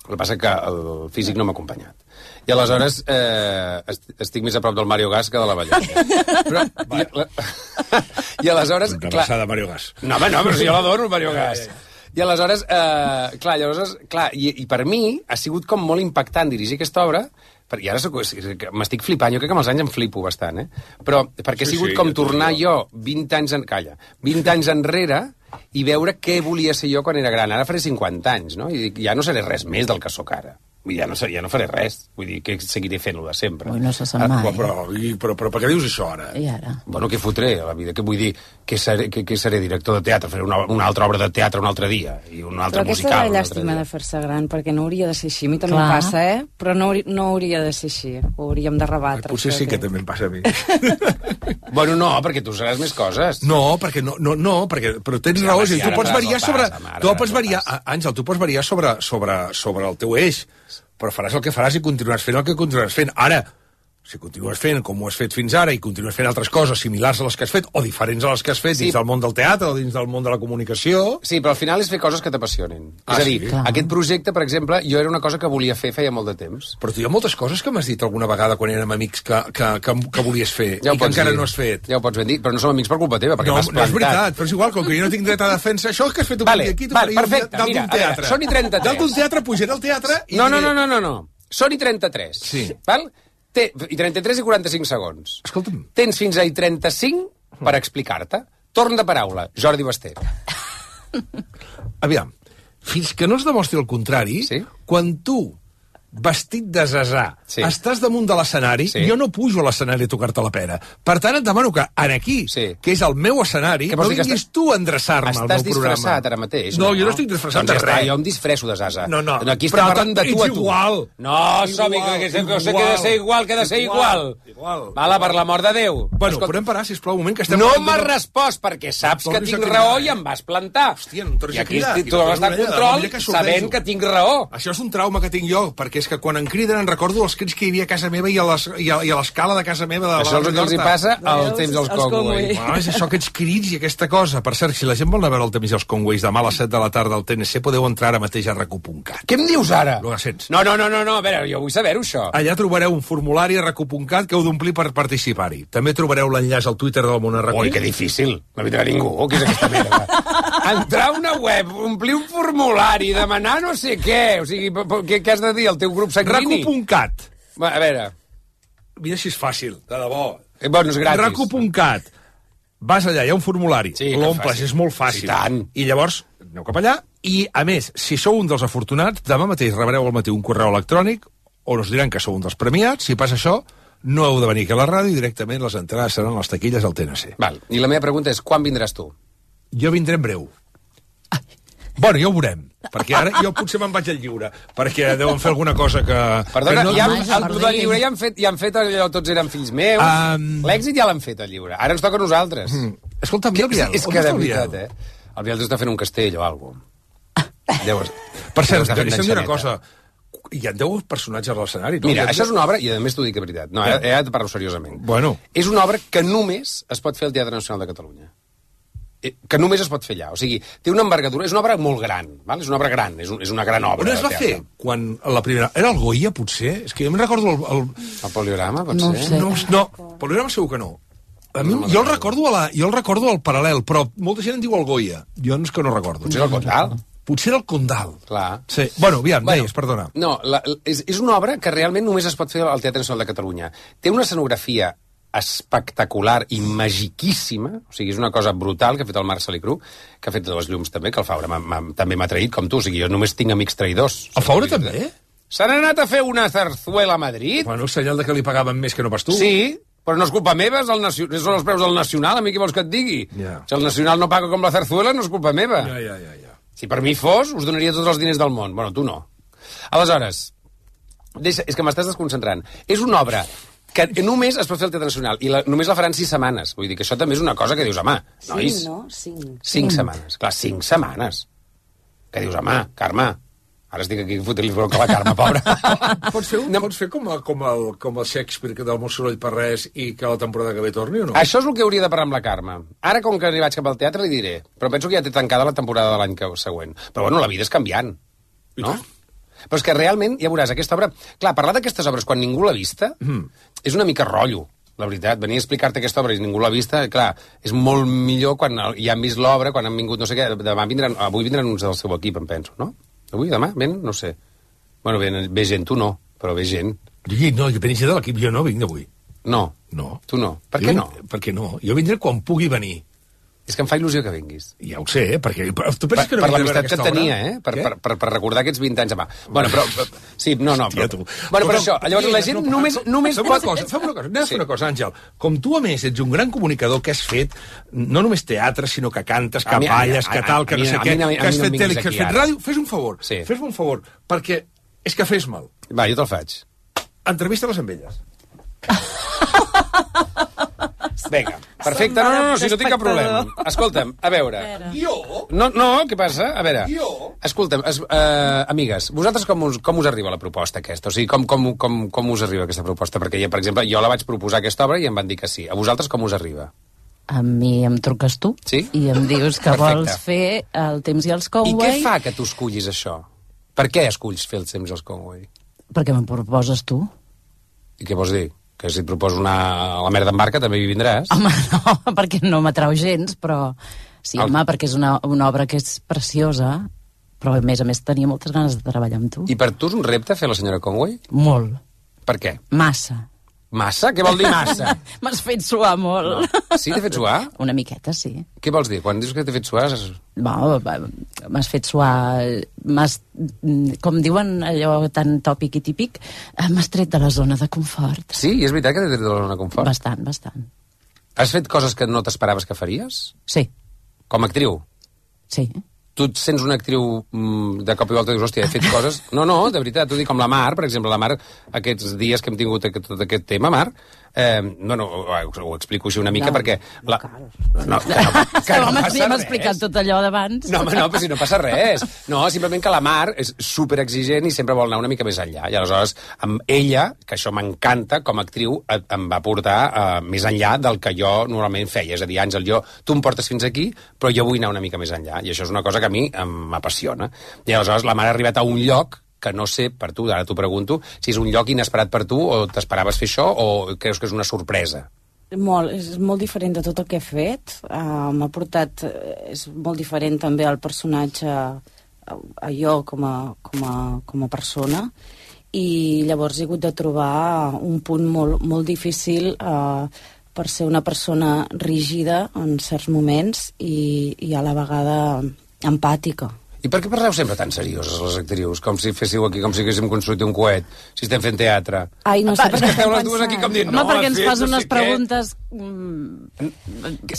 El que passa que el físic no m'ha acompanyat. I aleshores estic més a prop del Mario Gas que de la ballarina. I aleshores... Una abraçada, Mario Gas. No, home, no, però si jo l'adoro, el Mario Gas. I aleshores, i per mi ha sigut com molt impactant dirigir aquesta obra, i ara m'estic flipant, jo crec que amb els anys em flipo bastant, però perquè ha sigut com tornar jo 20 anys enrere i veure què volia ser jo quan era gran. Ara faré 50 anys, no? I dic, ja no seré res més del que sóc ara. Ja no faré res. Vull dir, que seguiré fent-ho de sempre. Ui, no se sap mai. Però per què dius això, ara? I ara? Bueno, què fotré a la vida? Què vull dir? Que seré director de teatre? Faré una altra obra de teatre un altre dia. I un altre musical. Però aquesta és la llàstima de fer-se gran, perquè no hauria de ser així. A mi també em passa, Però no hauria de ser així. Ho hauríem de rebatre. Potser sí que també em passa a mi. Bueno, no, perquè tu seràs més coses. No, perquè però tens raó. Tu pots variar sobre... Àngel, tu pots variar sobre el teu eix, però faràs el que faràs i continuaràs fent el que continuaràs fent. Ara, si continues fent com ho has fet fins ara i continues fent altres coses similars a les que has fet o diferents a les que has fet dins del món del teatre o dins del món de la comunicació... Sí, però al final és fer coses que t'apassionin. És a dir, aquest projecte, per exemple, jo era una cosa que volia fer feia molt de temps. Però tu hi ha moltes coses que m'has dit alguna vegada quan érem amics que volies fer i que encara no has fet. Ja ho pots ben dir, però no som amics per culpa teva, perquè m'has plantat. No, és veritat, però és igual, com que jo no tinc dret a defensa això, que has fet un dia aquí, tu faries dalt d'un teatre. Són i 33. Dalt d'un teatre, pujaré al teatre i... No. Són i 33. Sí. Val? I 33 i 45 segons. Escolta'm. Tens fins a 35 per explicar-te. Torn de paraula, Jordi Basté. Aviam, fins que no es demostri el contrari, quan tu, vestit de zazà, estàs damunt de l'escenari, jo no pujo a l'escenari a tocar-te la pera. Per tant, et demano que aquí, que és el meu escenari, no vinguis tu a endreçar-me al meu programa. Estàs disfressat ara mateix? No, jo no estic disfressat de res. Jo em disfresso de zazà. No. Aquí estem parlant de tu a tu. Igual. No, som que he de ser igual, que he de ser igual. Vala, per l'amor de Déu. Bueno, podem parar, sisplau, un moment, que estem... No m'has respost, perquè saps que tinc raó i em vas plantar. Hòstia, no em tornis a cridar. I aquí tu vas estar en control sabent que tinc raó. Això és un trauma que tinc jo, perquè és que quan em criden em recordo els crits que hi havia a casa meva i a l'escala de casa meva. Això és el que els hi passa al temps dels Conway. És això, aquests crits i aquesta cosa. Per cert, si la gent vol anar a veure el temps i els Conways demà a les 7 de la tarda al TNC, podeu entrar ara mateix a RAC1.cat. Què em dius ara? Lo sents? No, a veure, jo vull saber-ho, això. Allà trobareu un formulari a RAC1.cat que heu d'omplir per participar-hi. També trobareu l'enllaç al Twitter del Món RAC1. Ui, que difícil. No hi tindrà ningú. Què és aquesta merda? Entrar a una web, omplir un formulari, demanar no sé què. O sigui, què has de dir al teu grup sanguini? RAC1.cat. A veure. Mira si és fàcil, de debò. Bueno, és gratis. RAC1.cat. Vas allà, hi ha un formulari, l'omples, és molt fàcil. I llavors aneu cap allà, i a més, si sou un dels afortunats, demà mateix rebreu al matí un correu electrònic on us diran que sou un dels premiats. Si passa això, no heu de venir aquí a la ràdio i directament les entrades seran les taquilles al TNC. Val. I la meva pregunta és, quan vindràs tu? Jo vindré en breu. Bueno, ja ho veurem, perquè ara jo potser me'n vaig al lliure, perquè deuen fer alguna cosa que... Perdona, que no... el del lliure ja han fet allò, tots eren fills meus, l'èxit ja l'han fet, el lliure. Ara ens toca a nosaltres. Escolta'm, és que de veritat, el Biel està fent un castell o alguna cosa. Per cert, deixa'm dir una cosa, hi ha 10 personatges a l'escenari. Mira, això és una obra, i a més t'ho dic de veritat, no, he de parlar seriosament. Bueno. És una obra que només es pot fer al Teatre Nacional de Catalunya. Que només es pot fer allà. O sigui, té una envergadura, és una obra molt gran, val? És una obra gran, és una gran obra. On es va fer? Quan la primera... Era el Goya, potser? És que jo em recordo el Poliorama, pot ser? No, Poliorama segur que no. A mi, jo el recordo al Paral·lel, però molta gent en diu el Goya. Jo és que no recordo. Potser el Condal. Potser era el Condal. Clar. Sí. Bueno, aviam, deies, perdona. No, és una obra que realment només es pot fer al Teatre Nacional de Catalunya. Té una escenografia espectacular i magiquíssima, o sigui, és una cosa brutal que ha fet el Marc Salicru, que ha fet les llums també, que el Faura també m'ha traït, com tu, o sigui, jo només tinc amics traïdors. El Faura també? S'han anat a fer una zarzuela a Madrid. Bueno, senyal de que li pagaven més que no pas tu. Sí, però no és culpa meva, són els preus del Nacional, a mi què vols que et digui? Si el Nacional no paga com la zarzuela, no és culpa meva. Si per mi fos, us donaria tots els diners del món. Bueno, tu no. Aleshores, és que m'estàs desconcentrant. És una obra que només es pot fer al Teatre Nacional, i només la faran 6 setmanes. Vull dir que això també és una cosa que dius, home, nois... 5 setmanes. Clar, 5 setmanes. Que dius, home, Carme, ara estic aquí fotent-li bronca a la Carme, pobra. Pots fer com el Shakespeare del Mossoroll per res i que la temporada que ve torni o no? Això és el que hauria de parlar amb la Carme. Ara, com que vaig cap al teatre, li diré. Però penso que ja té tancada la temporada de l'any següent. Però bueno, la vida és canviant, no? Però és que realment, ja veuràs, aquesta obra... Clar, parlar d'aquestes obres quan ningú l'ha vista és una mica rotllo, la veritat. Venir a explicar-te aquesta obra i ningú l'ha vista, clar, és molt millor quan ja han vist l'obra, quan han vingut, no sé què... Avui vindran uns del seu equip, em penso, no? Avui, demà, ven? No sé. Bueno, ve gent, tu no, però ve gent. No, jo venia de l'equip, jo no vinc avui. No. Tu no. Per què no? Perquè no. Jo vindré quan pugui venir. És que em fa il·lusió que vinguis. Ja ho sé, perquè... Tu penses que no per l'amistat que et tenia, per recordar aquests 20 anys demà. Bueno, però... Sí, no, però... Bueno, però això, llavors la gent només pot... Fem una cosa, Àngel. Com tu, a més, ets un gran comunicador que has fet no només teatre, sinó que cantes, que balles, que tal, que no sé què, que has fet tele, que has fet ràdio... Fes un favor, fes-me un favor, perquè és que fes mal. Va, jo te'l faig. Entrevista-les amb elles. Vinga, perfecte. No, si no tinc cap problema. Escolta'm, a veure... Jo? No, què passa? A veure... Escolta'm, amigues, vosaltres com us arriba la proposta aquesta? O sigui, com us arriba aquesta proposta? Perquè, per exemple, jo la vaig proposar aquesta obra i em van dir que sí. A vosaltres com us arriba? A mi em truques tu i em dius que vols fer el temps i els Conway. I què fa que tu escollis això? Per què esculls fer el temps i els Conway? Perquè me'n proposes tu. I què vols dir? Que si et proposo anar a la merda en barca també hi vindràs? Home, no, perquè no m'atrau gens, però... Sí, home, perquè és una obra que és preciosa, però a més tenia moltes ganes de treballar amb tu. I per tu és un repte fer la senyora Conway? Molt. Per què? Massa. Massa? Què vol dir massa? M'has fet suar molt. No. Sí, t'he fet suar? Una miqueta, sí. Què vols dir? Quan dius que t'he fet suar... M'has fet suar... Com diuen allò tan tòpic i típic, m'has tret de la zona de confort. Sí, és veritat que t'he tret de la zona de confort? Bastant. Has fet coses que no t'esperaves que faries? Sí. Com a actriu? Sí. Tu et sents una actriu de cop i volta i dius, hòstia, he fet coses... No, de veritat, t'ho dic, com la Mar, per exemple, la Mar, aquests dies que hem tingut tot aquest tema, Mar, ho explico així una mica, perquè... Home, si hem explicat tot allò d'abans. No, però si no passa res. No, simplement que la Mar és superexigent i sempre vol anar una mica més enllà. I aleshores, amb ella, que això m'encanta, com a actriu, em va portar més enllà del que jo normalment feia. És a dir, Àngel, tu em portes fins aquí, però jo vull anar una mica més enllà. I això és una cosa que a mi m'apassiona. I aleshores la Mar ha arribat a un lloc que no sé, per tu, ara t'ho pregunto, si és un lloc inesperat per tu, o t'esperaves fer això, o creus que és una sorpresa? És molt diferent de tot el que he fet. M'ha portat... És molt diferent també el personatge a jo com a persona, i llavors he hagut de trobar un punt molt difícil per ser una persona rígida en certs moments i a la vegada empàtica. I per què parleu sempre tan serioses, les actrius? Com si féssiu aquí, com si haguéssim construït un coet, si estem fent teatre. Ai, no sé, perquè esteu les dues aquí com dient... Home, perquè ens fas unes preguntes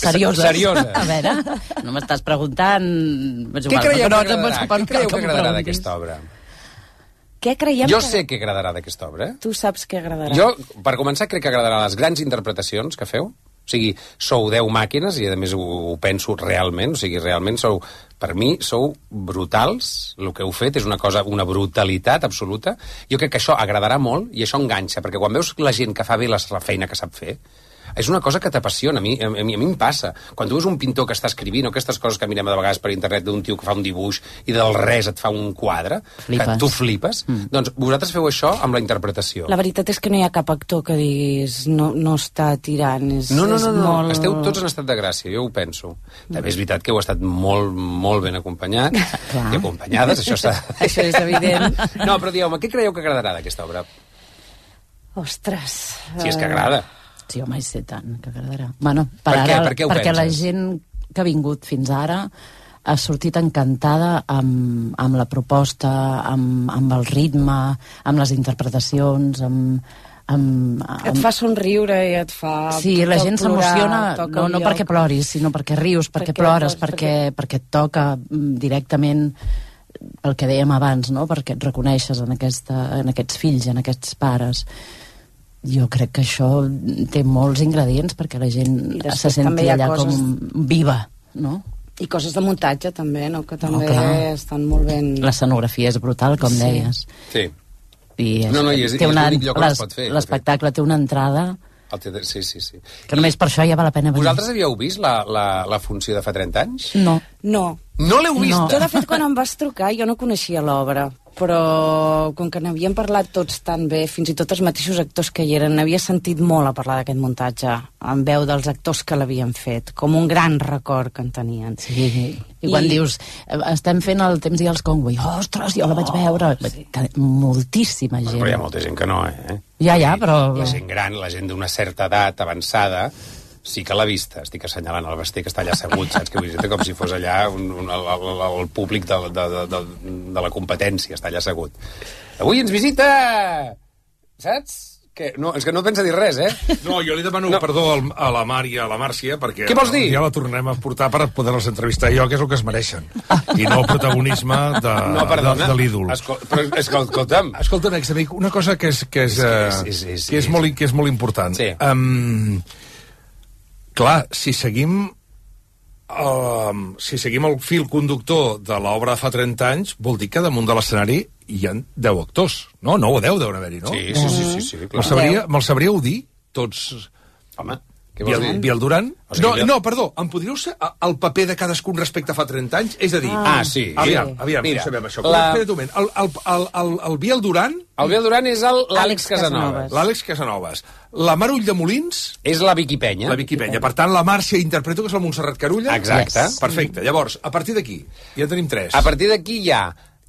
serioses. A veure, no m'estàs preguntant... Què creieu que agradarà d'aquesta obra? Què creiem jo sé què agradarà d'aquesta obra. Tu saps què agradarà. Jo, per començar, crec que agradarà les grans interpretacions que feu. O sigui, sou 10 màquines, i a més ho penso realment, o sigui, realment sou, per mi, sou brutals, el que heu fet és una brutalitat absoluta. Jo crec que això agradarà molt i això enganxa, perquè quan veus la gent que fa bé la feina que sap fer, és una cosa que t'apassiona. A mi em passa. Quan tu veus un pintor que està escrivint, o aquestes coses que mirem de vegades per internet d'un tio que fa un dibuix i del res et fa un quadre, que tu flipes, doncs vosaltres feu això amb la interpretació. La veritat és que no hi ha cap actor que diguis no està tirant. No. Tots en estat de gràcia, jo ho penso. També és veritat que heu estat molt ben acompanyats i acompanyades, això és evident. No, però digueu-me, què creieu que agradarà d'aquesta obra? Ostres... Si és que agrada. Sí, home, sé tant que agradarà. Bueno, perquè la gent que ha vingut fins ara ha sortit encantada amb la proposta, amb el ritme, amb les interpretacions, et fa somriure i et fa... Sí, la gent s'emociona, no perquè ploris, sinó perquè rius, perquè plores, perquè et toca directament el que dèiem abans, no? Perquè et reconeixes en aquests fills, en aquests pares. Jo crec que això té molts ingredients perquè la gent se senti allà com viva, no? I coses de muntatge, també, no? Que també estan molt ben... L'escenografia és brutal, com deies. Sí. I és l'únic lloc on es pot fer. L'espectacle té una entrada... Sí. Que només per això ja val la pena venir. Vosaltres havíeu vist la funció de fa 30 anys? No. No l'heu vist? Jo, de fet, quan em vas trucar, jo no coneixia l'obra, però com que n'havíem parlat tots tan bé, fins i tot els mateixos actors que hi eren, n'havia sentit molt a parlar d'aquest muntatge, en veu dels actors que l'havien fet, com un gran record que en tenien. Sí, i quan dius, estem fent el Temps i els Conway, ostres, jo la vaig veure, moltíssima gent. Però hi ha molta gent que no, eh? Ja, però... La gent gran, la gent d'una certa edat avançada, sí que l'ha vista. Estic assenyalant el Basté, que està allà assegut, saps? Que visita com si fos allà el públic de la competència, està allà assegut. Avui ens visita... Saps? No, és que no pensa dir res, eh? No, jo li demano perdó a la Mar i a la Màrcia, perquè què vols dir? Ja la tornem a portar per poder-les entrevistar jo, que és el que es mereixen. I no el protagonisme de l'ídol. Però escolta'm... Escolta, amic, una cosa que és molt important. Sí. Clar, si seguim el fil conductor de l'obra de fa 30 anys, vol dir que damunt de l'escenari hi ha 10 actors, no? 9 o 10 deuen haver-hi, no? Sí, clar. Me'l sabríeu dir, tots? Home, què vols dir? Biel Duran? No, perdó, em podríeu ser el paper de cadascun respecte a fa 30 anys? És a dir... sí. Aviam, mira, no sabem això. Espera't un moment. El Biel Duran... El Biel Duran és l'Àlex Casanovas. L'Àlex Casanovas. La Mar Ulldemolins... És la Vicky Penya. La Vicky Penya. Per tant, la Màrcia interpreto que és la Montserrat Carulla. Exacte. Perfecte. Llavors, a partir d'aquí, ja tenim 3. A partir d'aquí hi ha...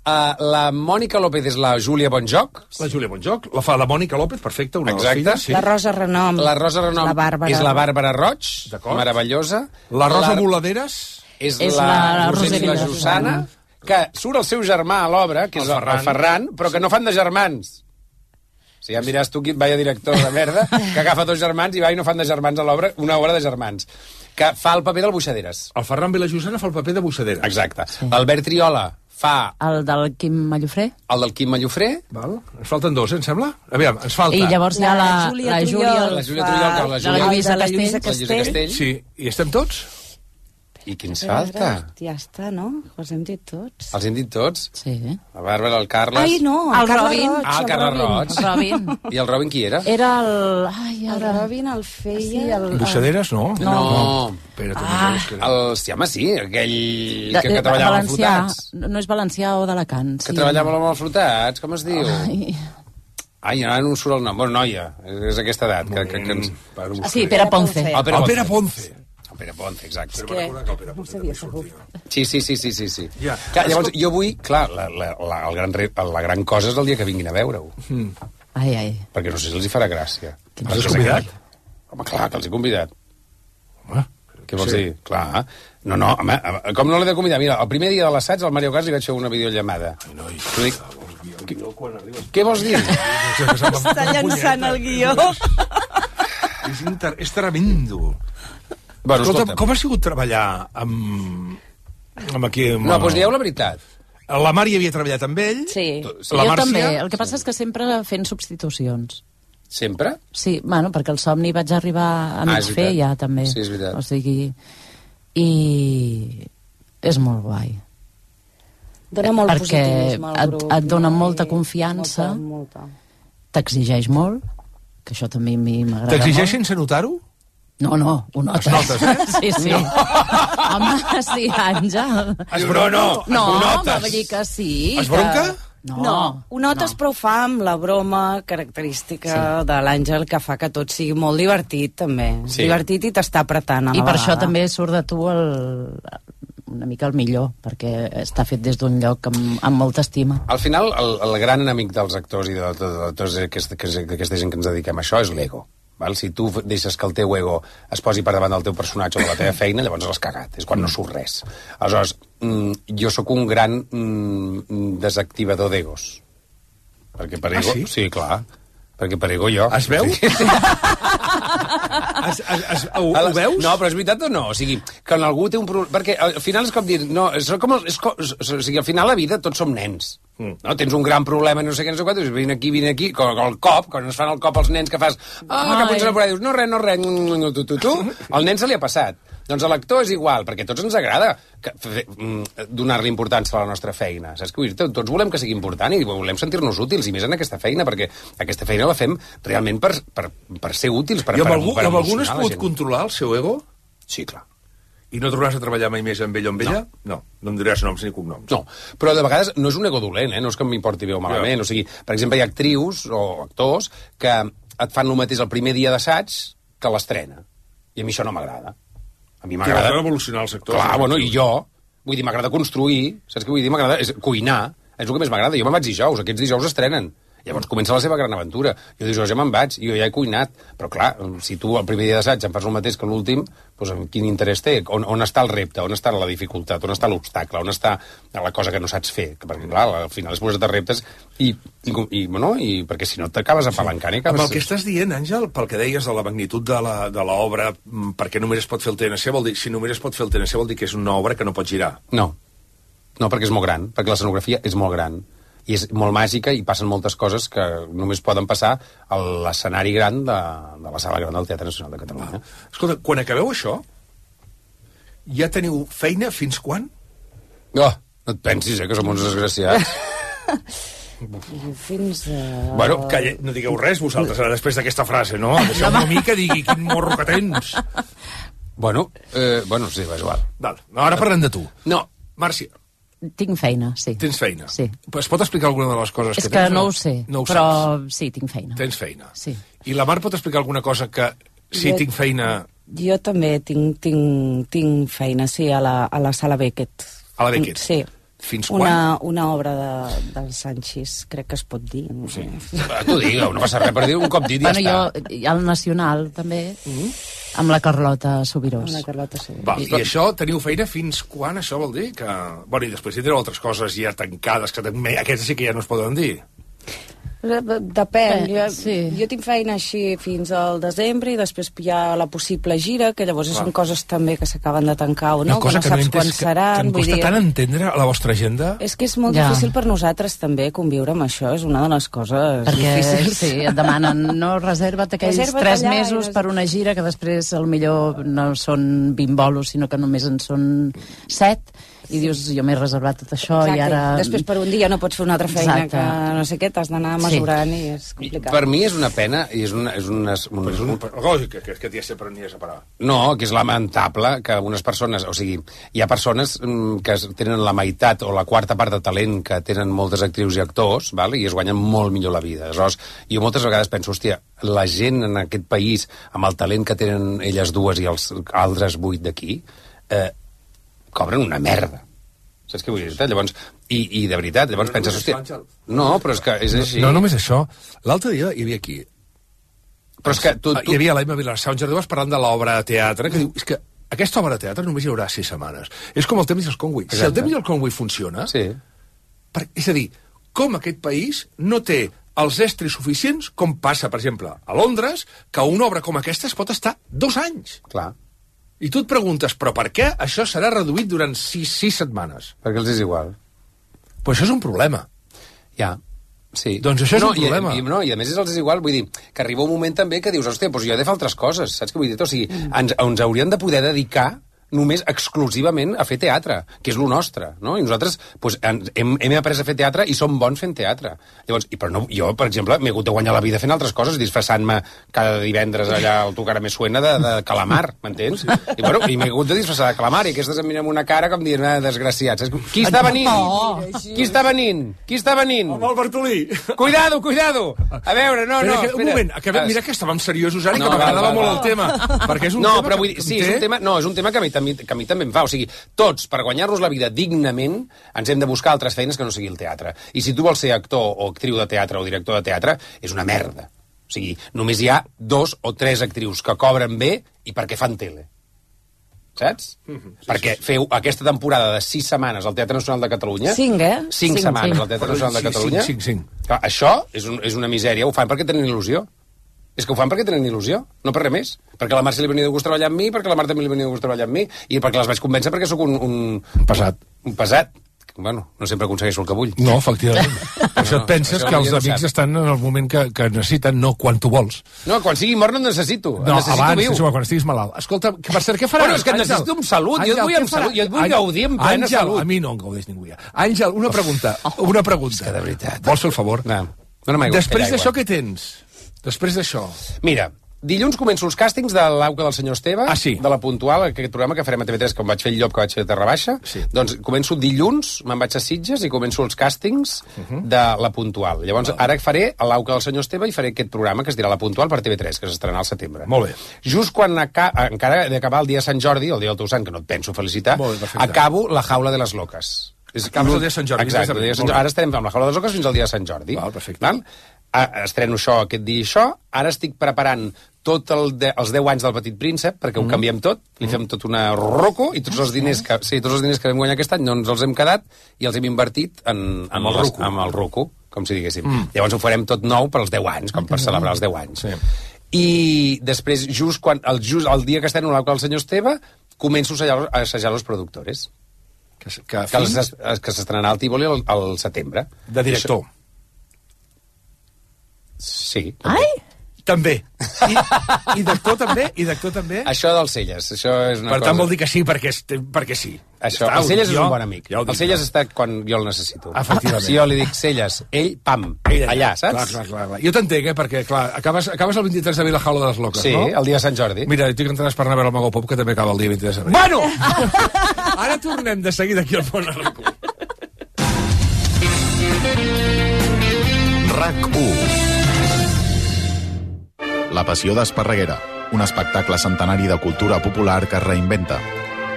la Mònica López és la Júlia Bonjoc. La Júlia Bonjoc. La fa la Mònica López, perfecte, una de les filles. Sí. La Rosa Renom. La Rosa Renom és la Bàrbara Roig, meravellosa. La Rosa Moladeres és la Rosella Jusana, que surt el seu germà a l'obra, que és el Ferran, però que no fan de germans. Si ja em diràs tu, vaya director de merda, que agafa 2 germans i va i no fan de germans a l'obra, una obra de germans, que fa el paper del Buixaderes. El Ferran Vilajosana fa el paper de Buixaderes. Exacte. Sí. L'Albert Triola fa... El del Quim Mallofré. El del Quim Mallofré. Val. Ens falten dos, em sembla? Aviam, ens falta... I llavors hi ha la Júlia Trullol, de la Lluïsa Castell. Sí, i estem tots? I qui ens falta? Ja està, no? Els hem dit tots. Els hem dit tots? Sí. La Bàrbara, el Carles... Ai, no, el Carles Robin. Roig. Ah, el Carles Roig. El Robin. I el Robin qui era? Era el... Ai, El Robin el feia... Sí, el... Bussaderes, no? No. Espera't, home, sí, aquell que treballava amb flotats. No és valencià o d'Alacant. Que treballava amb els flotats, com es diu? Ai, ara no em surt el nom. Bueno, noia, és aquesta edat. Que ens... Sí, Pere Ponce. El Pere Ponce. El Pere Ponce, exacte. No sabia segur. Sí. Clar, llavors, jo vull... Clar, la gran cosa és el dia que vinguin a veure-ho. Ai. Perquè no sé si els hi farà gràcia. Els has convidat? Home, clar, que els he convidat. Què vols dir? Clar. No, home, com no l'he de convidar? Mira, el primer dia de l'assaig al Mario Cas li vaig fer una videollamada. Què vols dir? Està llançant el guió. És tremendo. Bueno, escolta, com ha sigut treballar amb aquí... No, doncs dieu la veritat. La Mar hi havia treballat amb ell. Sí, la jo Màrcia... també. El que passa és que sempre fent substitucions. Sempre? Sí, bueno, perquè el Somni vaig arribar a mig fer ja, també. Sí, és veritat. O sigui... I és molt guai. Dona molt perquè positivisme al grup. et dona molta confiança, t'exigeix molt, que això també a mi m'agrada molt. T'exigeix sense notar-ho? No, ho notes. Sí. No. Home, sí, Àngel. No, va dir que sí. Es bronca? No, ho notes, però ho fa amb la broma característica de l'Àngel, que fa que tot sigui molt divertit, també. Sí. Divertit i t'està apretant a la I per vegada. això també surt de tu una mica el millor, perquè està fet des d'un lloc amb molta estima. Al final, el gran enemic dels actors i de tota aquesta gent que ens dediquem a això és l'ego. Val? Si tu deixes que el teu ego es posi per davant del teu personatge o de la teva feina, llavors l'has cagat, és quan no surt res. Aleshores, jo sóc un gran desactivador d'egos. Perquè per ego... sí? Sí, clar. Perquè per ego jo... Es veu? Ho veus? No, però és veritat o no? O sigui, quan algú té un problema... Perquè al final és com dir... No, o sigui, al final la vida tots som nens. No? Tens un gran problema, no sé què, no sé què, dius, vine aquí, com el cop, quan es fan el cop als nens que fas... cap un cel·la dius, no res, tu. Al nen se li ha passat. Doncs a l'actor és igual, perquè a tots ens agrada donar-li importància a la nostra feina. Saps què vull dir? Tots volem que sigui important i volem sentir-nos útils, i més en aquesta feina, perquè aquesta feina la fem realment per ser útils, per emocionar la gent. I amb algun es pot controlar el seu ego? Sí, clar. I no tornaràs a treballar mai més amb ell o amb ella? No em diràs noms ni cognoms. No, però de vegades no és un ego dolent, no és que m'importi bé o malament. O sigui, per exemple, hi ha actrius o actors que et fan el mateix el primer dia d'assaig que l'estrena. I a mi això no m'agrada. A mi m'agrada... revolucionar els actors. Clar, bueno, i jo... Vull dir, m'agrada construir, saps què vull dir? M'agrada cuinar, és el que més m'agrada. Jo me'n vaig dijous, aquests dijous estrenen. Llavors comença la seva gran aventura. Jo dijous ja me'n vaig, jo ja he cuinat. Però clar, si tu el primer dia d'assaig em fas el mateix que l'últim, doncs quin interès té? On està el repte? On està la dificultat? On està l'obstacle? On està la cosa que no saps fer? Perquè clar, al final és posat a reptes i perquè si no t'acabes apalancant i acabes... Amb el que estàs dient, Àngel, pel que deies de la magnitud de l'obra, perquè només es pot fer el TNC, vol dir, si només es pot fer el TNC vol dir que és una obra que no pot girar. No, perquè és molt gran, perquè l'escenografia és molt gran. I és molt màgica i passen moltes coses que només poden passar a l'escenari gran de la sala gran del Teatre Nacional de Catalunya. Escolta, quan acabeu això, ja teniu feina fins quan? No et pensis, que som uns desgraciats. Fins a... Bueno, no digueu res vosaltres ara després d'aquesta frase, no? Deixeu-me a mi que digui quin morro que tens. Bueno, sí, va igual. Val, ara parlem de tu. No. Màrcia. Tinc feina, sí. Tens feina? Sí. Es pot explicar alguna de les coses que tens? És que no ho sé, però sí, tinc feina. Tens feina. Sí. I la Mar pot explicar alguna cosa que sí, tinc feina... Jo també tinc feina, sí, a la Sala Beckett. A la Beckett? Sí. Fins quan? Una obra del Sanchis, crec que es pot dir. No sé. Tu digues, no passa res per dir un cop dit, ja està. Jo, al Nacional, també, amb la Carlota Subirós. Amb la Carlota Subirós. Va, i això, teniu feina fins quan, això vol dir? Que... Bueno, i després tindreu altres coses ja tancades, que aquestes sí que ja no es poden dir. Depèn. Jo tinc feina així fins al desembre i després hi ha la possible gira, que llavors són coses també que s'acaben de tancar o no, que no saps quan seran. Que em costa tant entendre la vostra agenda. És que és molt difícil per nosaltres també conviure amb això, és una de les coses difícils. Sí, et demanen, no, reserva't aquells 3 mesos per una gira que després millor no són 20 bolos, sinó que només en són 7, i dius, jo m'he reservat tot això. Exacte. I ara... Després per un dia no pots fer una altra feina. Exacte. Que no sé què, t'has d'anar mesurant i és complicat. Per mi és una pena i és una lògic que t'hi has sempre n'hi has a parar. No, que és lamentable que unes persones, o sigui, hi ha persones que tenen la meitat o la quarta part de talent que tenen moltes actrius i actors, val? I es guanyen molt millor la vida. Aleshores, jo moltes vegades penso, hòstia, la gent en aquest país, amb el talent que tenen elles dues i els altres 8 d'aquí, cobren una merda. Saps què vull dir? Llavors, i de veritat, llavors penses, hòstia... No, però és que és així. No només això. L'altre dia hi havia aquí... Però és que hi havia l'Emma Vilarsau en Jardí parlant de l'obra de teatre, que diu, és que aquesta obra de teatre només hi haurà 6 setmanes. És com el temps del Conway. Si el temps del Conway funciona... Sí. És a dir, com aquest país no té els estris suficients, com passa, per exemple, a Londres, que una obra com aquesta es pot estar 2 anys. Clar. I tu et preguntes, però per què això serà reduït durant 6 setmanes? Perquè els és igual. Però això és un problema. Ja, sí. Doncs això és un problema. I a més els és igual, vull dir, que arriba un moment també que dius, hòstia, doncs jo he de fer altres coses, saps què vull dir? O sigui, ens hauríem de poder dedicar només exclusivament a fer teatre, que és lo nostre, no? I nosaltres pues, hem après a fer teatre i som bons fent teatre. Llavors, però no, jo, per exemple, m'he hagut de guanyar la vida fent altres coses, disfressant-me cada divendres allà al Tu cara me suena de calamar, m'entens? I bueno, i m'he hagut de disfressar de calamar, i aquestes em miren amb una cara com dient, desgraciats. Qui està venint? Qui està venint? Qui està venint? Amb el Bartolí. Cuidado, cuidado! A veure, no, un moment, mira que estàvem seriosos ara i que m'agradava molt el tema. Perquè és un tema però vull dir, sí, és un tema que a mi també em fa. O sigui, tots, per guanyar-nos la vida dignament, ens hem de buscar altres feines que no sigui el teatre. I si tu vols ser actor o actriu de teatre o director de teatre, és una merda. O sigui, només hi ha 2 o 3 actrius que cobren bé i perquè fan tele. Saps? Perquè feu aquesta temporada de 6 setmanes al Teatre Nacional de Catalunya... 5, 5 setmanes al Teatre Nacional de Catalunya... 5. Clar, això és una misèria. Ho fan perquè tenen il·lusió. És que ho fan perquè tenen il·lusió, no per res més. Perquè a la Marcia li venia de gust treballar amb mi, perquè a la Marta també li venia de gust treballar amb mi, i perquè les vaig convèncer perquè sóc un pesat. Un pesat. Bueno, no sempre aconsegueixo el que vull. No, efectivament. Per això et penses que els amics estan en el moment que necessiten, no quan tu vols. No, quan sigui mort no et necessito. No, abans, quan estiguis malalt. Escolta, per cert, què faràs? Bueno, és que et necessito amb salut. Jo et vull amb salut. Jo et vull gaudir amb plena salut. A mi no em gaudeix ningú ja. Àngel, una pregunta. És que de veritat. Vols fer el favor? No. Després d'això, què tens? Després d'això... Mira, dilluns començo els càstings de l'Auca del senyor Esteve, de La Puntual, aquest programa que farem a TV3, com vaig fer el Llop, que vaig fer a Terra Baixa. Sí. Doncs començo dilluns, me'n vaig a Sitges i començo els càstings de La Puntual. Llavors, ara faré l'Auca del senyor Esteve i faré aquest programa que es dirà La Puntual per TV3, que s'estrenarà al setembre. Molt bé. Just quan encara he d'acabar el dia de Sant Jordi, el dia del teu sant, que no et penso felicitar, acabo La Jaula de les Loques. Acabes el dia de Sant Jordi. Exacte. Ara estarem amb La Jaula de les Loques fins al dia de Sant Jordi. Val, perfecte. Estreno això aquest dia i això. Ara estic preparant tot els 10 anys del Petit Príncep, perquè ho canviem tot, li fem tot una roco, i tots els diners que vam guanyar aquest any no ens els hem quedat i els hem invertit amb el roco, com si diguéssim. Llavors ho farem tot nou per als 10 anys, com per celebrar els 10 anys. Sí. I després, just el dia que estreno l'Auca del senyor Esteve, començo a assajar los productores. Que s'estrenarà al Tívoli al setembre. De director. Sí. Ai! També. I d'actor també? Això dels Celles, això és una cosa... Per tant vol dir que sí, perquè sí. Això, el Celles és un bon amic. El Celles està quan jo el necessito. Efectivament. Si jo li dic Celles, ell, pam, allà, saps? Clar. Jo t'entenc, perquè, clar, acabes el 23 d'abril a la Jaula de les Loques, no? Sí, el dia de Sant Jordi. Mira, tu que entraràs per anar a veure el Mago Pop, que també acaba el dia 23 d'abril. Bueno! Ara tornem de seguida aquí al Pont Arracó. RAC1. La passió d'Esparreguera, un espectacle centenari de cultura popular que es reinventa.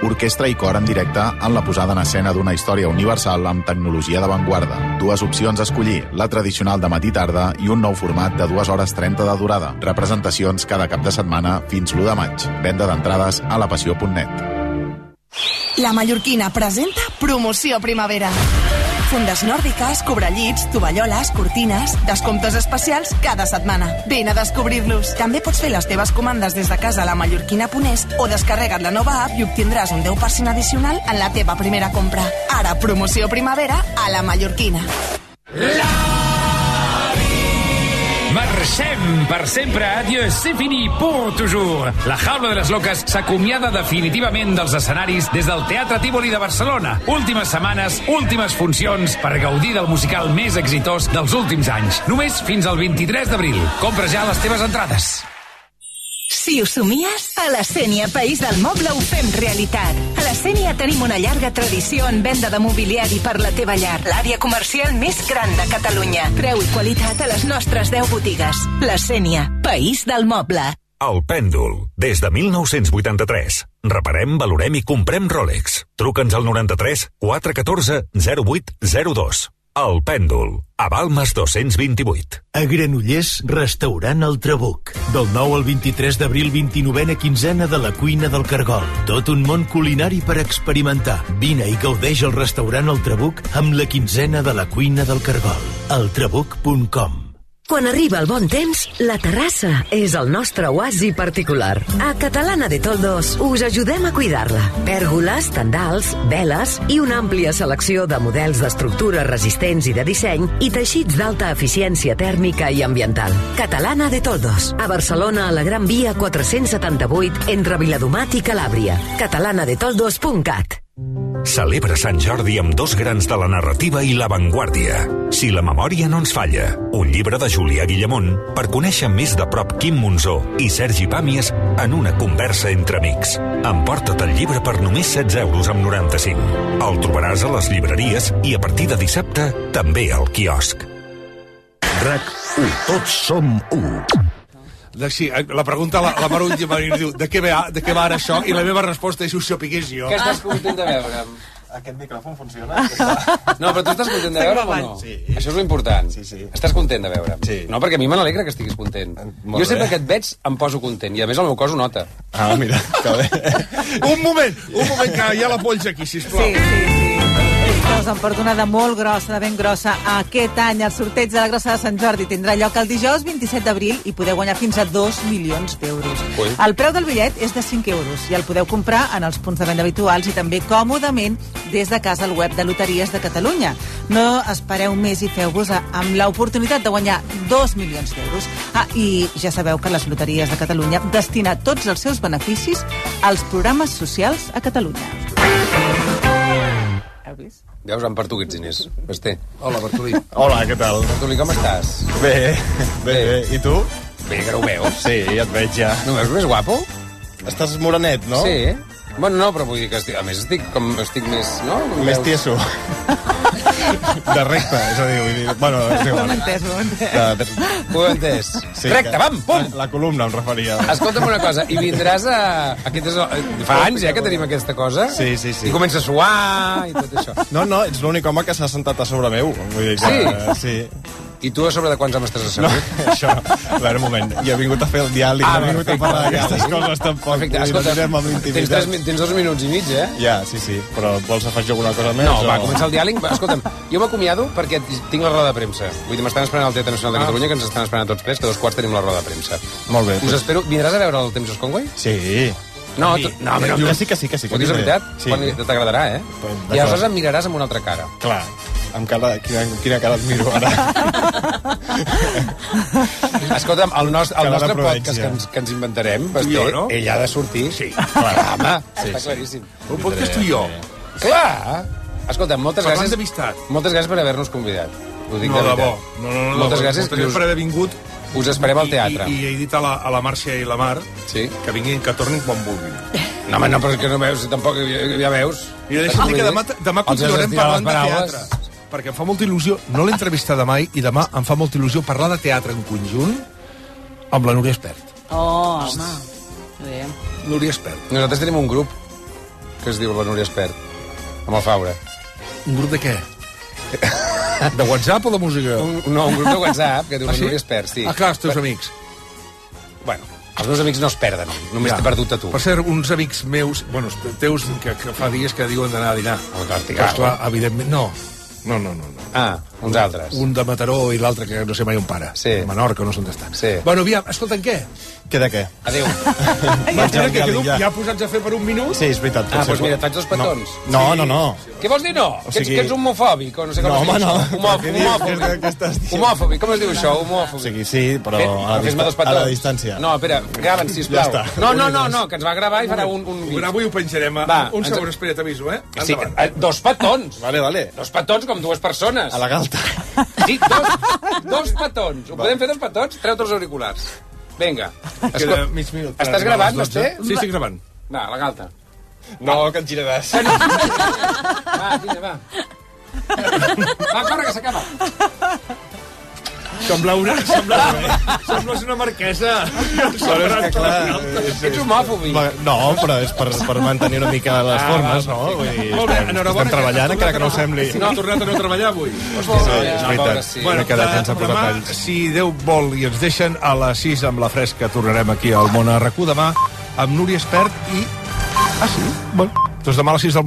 Orquestra i cor en directe en la posada en escena d'una història universal amb tecnologia d'avantguarda. 2 opcions a escollir, la tradicional de matí-tarda i un nou format de 2 hores 30 de durada. Representacions cada cap de setmana fins l'1 de maig. Venda d'entrades a lapassió.net. La Mallorquina presenta Promoció Primavera. fundes nòrdiques, cobrellits, tovalloles, cortines, descomptes especials cada setmana. Vine a descobrir-los. També pots fer les teves comandes des de casa a la mallorquina.es o descarrega't la nova app i obtindràs un 10% addicional en la teva primera compra. Ara, promoció primavera a la mallorquina. Marxem per sempre, adieu, c'est fini pour toujours. La Jaula de les Loques s'acomiada definitivament dels escenaris des del Teatre Tívoli de Barcelona. Últimes setmanes, últimes funcions per gaudir del musical més exitós dels últims anys. Només fins al 23 d'abril. Compra ja les teves entrades. Si ho somies, a la Sénia, País del Moble, ho fem realitat. A la Sénia tenim una llarga tradició en venda de mobiliari per la teva llar. L'àrea comercial més gran de Catalunya. Preu i qualitat a les nostres 10 botigues. La Sénia, País del Moble. El Pèndol, des de 1983. Reparem, valorem i comprem Rolex. Truca'ns al 93 414 0802. El Pèndol, a Balmes 228. A Granollers, restaurant El Trabuc. Del 9 al 23 d'abril, 29a quinzena de la cuina del Cargol. Tot un món culinari per experimentar. Vine i gaudeix al restaurant El Trabuc amb la quinzena de la cuina del Cargol. eltrabuc.com. Quan arriba el bon temps, la terrassa és el nostre oasi particular. A Catalana de Toldos us ajudem a cuidar-la. Pèrgoles, tendals, veles i una àmplia selecció de models d'estructures resistents i de disseny i teixits d'alta eficiència tèrmica i ambiental. Catalana de Toldos. A Barcelona, a la Gran Via 478, entre Viladomat i Calàbria. catalanadetoldos.cat. Celebra Sant Jordi amb dos grans de la narrativa i l'avantguàrdia. Si la memòria no ens falla, un llibre de Julià Guillamont per conèixer més de prop Quim Monzó i Sergi Pàmies en una conversa entre amics. Emporta't el llibre per només 16,95 €. El trobaràs a les llibreries i a partir de dissabte també al quiosc. RAC1. Tots som u. Sí, la pregunta la Marull diu de què va ara això? I la meva resposta és si ho sapigués jo. Què estàs content de veure? Aquest micròfon funciona? No, però tu estàs content de veure o no? Sí. Això és l'important. Sí. Estàs content de veure? Sí. No, perquè a mi me n'alegra que estiguis content. Jo sempre que et veig em poso content, i a més el meu cos ho nota. Ah, mira, que bé. Un moment, que hi ha la polsa aquí, sisplau. Sí. Us en porto una de molt grossa, de ben grossa. Aquest any el sorteig de la Grossa de Sant Jordi tindrà lloc el dijous 27 d'abril i podeu guanyar fins a 2 milions d'euros. El preu del bitllet és de 5 € i el podeu comprar en els punts de venda habituals i també còmodament des de casa al web de Loteries de Catalunya. No espereu més i feu-vos amb l'oportunitat de guanyar 2 milions d'euros. I ja sabeu que les Loteries de Catalunya destina tots els seus beneficis als programes socials a Catalunya. Heu vist? Veus, per tu aquests diners. Basté. Hola, Bartolí. Hola, què tal? Bartolí, com estàs? Bé. I tu? Bé, que no ho veus. Sí, ja et veig ja. No veus més guapo? Estàs morenet, no? Sí. Bueno, no, però vull dir que a més estic més, no? Més tieso. De recte, és a dir, vull dir... Bueno, és igual. Ho hem entès. Ho he entès. Sí, recte, vam, pum! La columna em referia. Escolta'm una cosa, i vindràs a... Fa anys, que tenim aquesta cosa. Sí. I comença a suar i tot això. No, ets l'únic home que s'ha sentat a sobre meu. Vull dir que... Sí. I tu a sobre de quants homes estàs assegut? No, això... A veure, un moment. Jo he vingut a fer el diàleg, no he vingut a parlar d'aquestes coses tampoc. Perfecte, escolta, tens 2 minuts i mig, eh? Ja, sí. Però vols afegir alguna cosa més? No, va, començar el diàleg. Escolta'm, jo m'acomiado perquè tinc la roda de premsa. Vull dir, m'estan esperant al Teatre Nacional de Catalunya, que ens estan esperant a tots tres, que a 2:15 tenim la roda de premsa. Molt bé. Us espero. Vindràs a veure el Temps Conway? Sí. No, jo sí que sí. Ho dius de veritat? Sí. T'agradarà, eh? I aleshores em miraràs amb una altra cara. Clar. Amb quina cara et miro ara? Escolta'm, el nostre podcast que ens inventarem, ell ha de sortir. Sí, clar. Home, està claríssim. Un podcast tu i jo. Clar. Escolta'm, moltes Parlant gràcies. d'amistat. Moltes gràcies per haver-nos convidat. Ho dic de debò. veritat. Moltes gràcies per haver vingut. Us esperem al teatre. I he dit a la Màrcia i la Mar que vinguin, que tornin quan vulguin. No, home, no, però és que no veus, tampoc ja veus. Mira, deixa'm dir que demà continuarem parlant de teatre. Perquè em fa molta il·lusió, no l'he entrevistada mai, i demà em fa molta il·lusió parlar de teatre en conjunt amb la Núria Espert. Oh, home. Bé. Núria Espert. Nosaltres tenim un grup que es diu la Núria Espert, amb el Faura. Un grup de què? De WhatsApp o de música? No, un grup de WhatsApp que diu la Núria Espert, sí. Ah, clar, els teus amics. Bueno, els meus amics no es perden, només t'he perdut a tu. Per cert, uns amics meus, bueno, teus, que fa dies que diuen d'anar a dinar. Però clar, evidentment, no. No. Ah, uns altres. Un de Mataró i l'altre que no sé mai on para. Sí. Menorca, no sé on estan. Sí. Bueno, aviam, escolta'm, què? Què de què? Adéu. Martina, que quedo ja posats a fer per un minut? Sí, és veritat. Doncs mira, et faig dos petons. No. Què vols dir no? Que ets homofòbic o no sé com es diu això? Homòfobi, com es diu això? Homòfobi. O sigui, sí, però a la distància. No, espera, grava'ns, sisplau. Ja està. No, que ens va gravar i farà un Ho gravo i ho penjarem. Un segon, espera, t'aviso, Sí, dos petons. Vale. Dos petons com dues persones. A la galta. Sí, dos petons. Ho podem fer dos petons? Treu-te els auriculars. Vinga. Queda mig minut. Estàs gravant, Basté? Sí, estic gravant. Va, la galta. No, que et giraràs. Va, vinga. Va, corre, que s'acaba. Sembles una marquesa. Però és que, clar... Ets homòfobi. No, però és per mantenir una mica les formes, no? Molt bé, enhorabona. Estem treballant, encara que no ho sembli. No ha tornat a no treballar avui. Sí, és veritat. Bueno, demà, si Déu vol i ens deixen, a les 6 amb la fresca tornarem aquí al Món a RAC1 demà amb Núria Espert i... Ah, sí? Bueno, doncs demà a les 6 del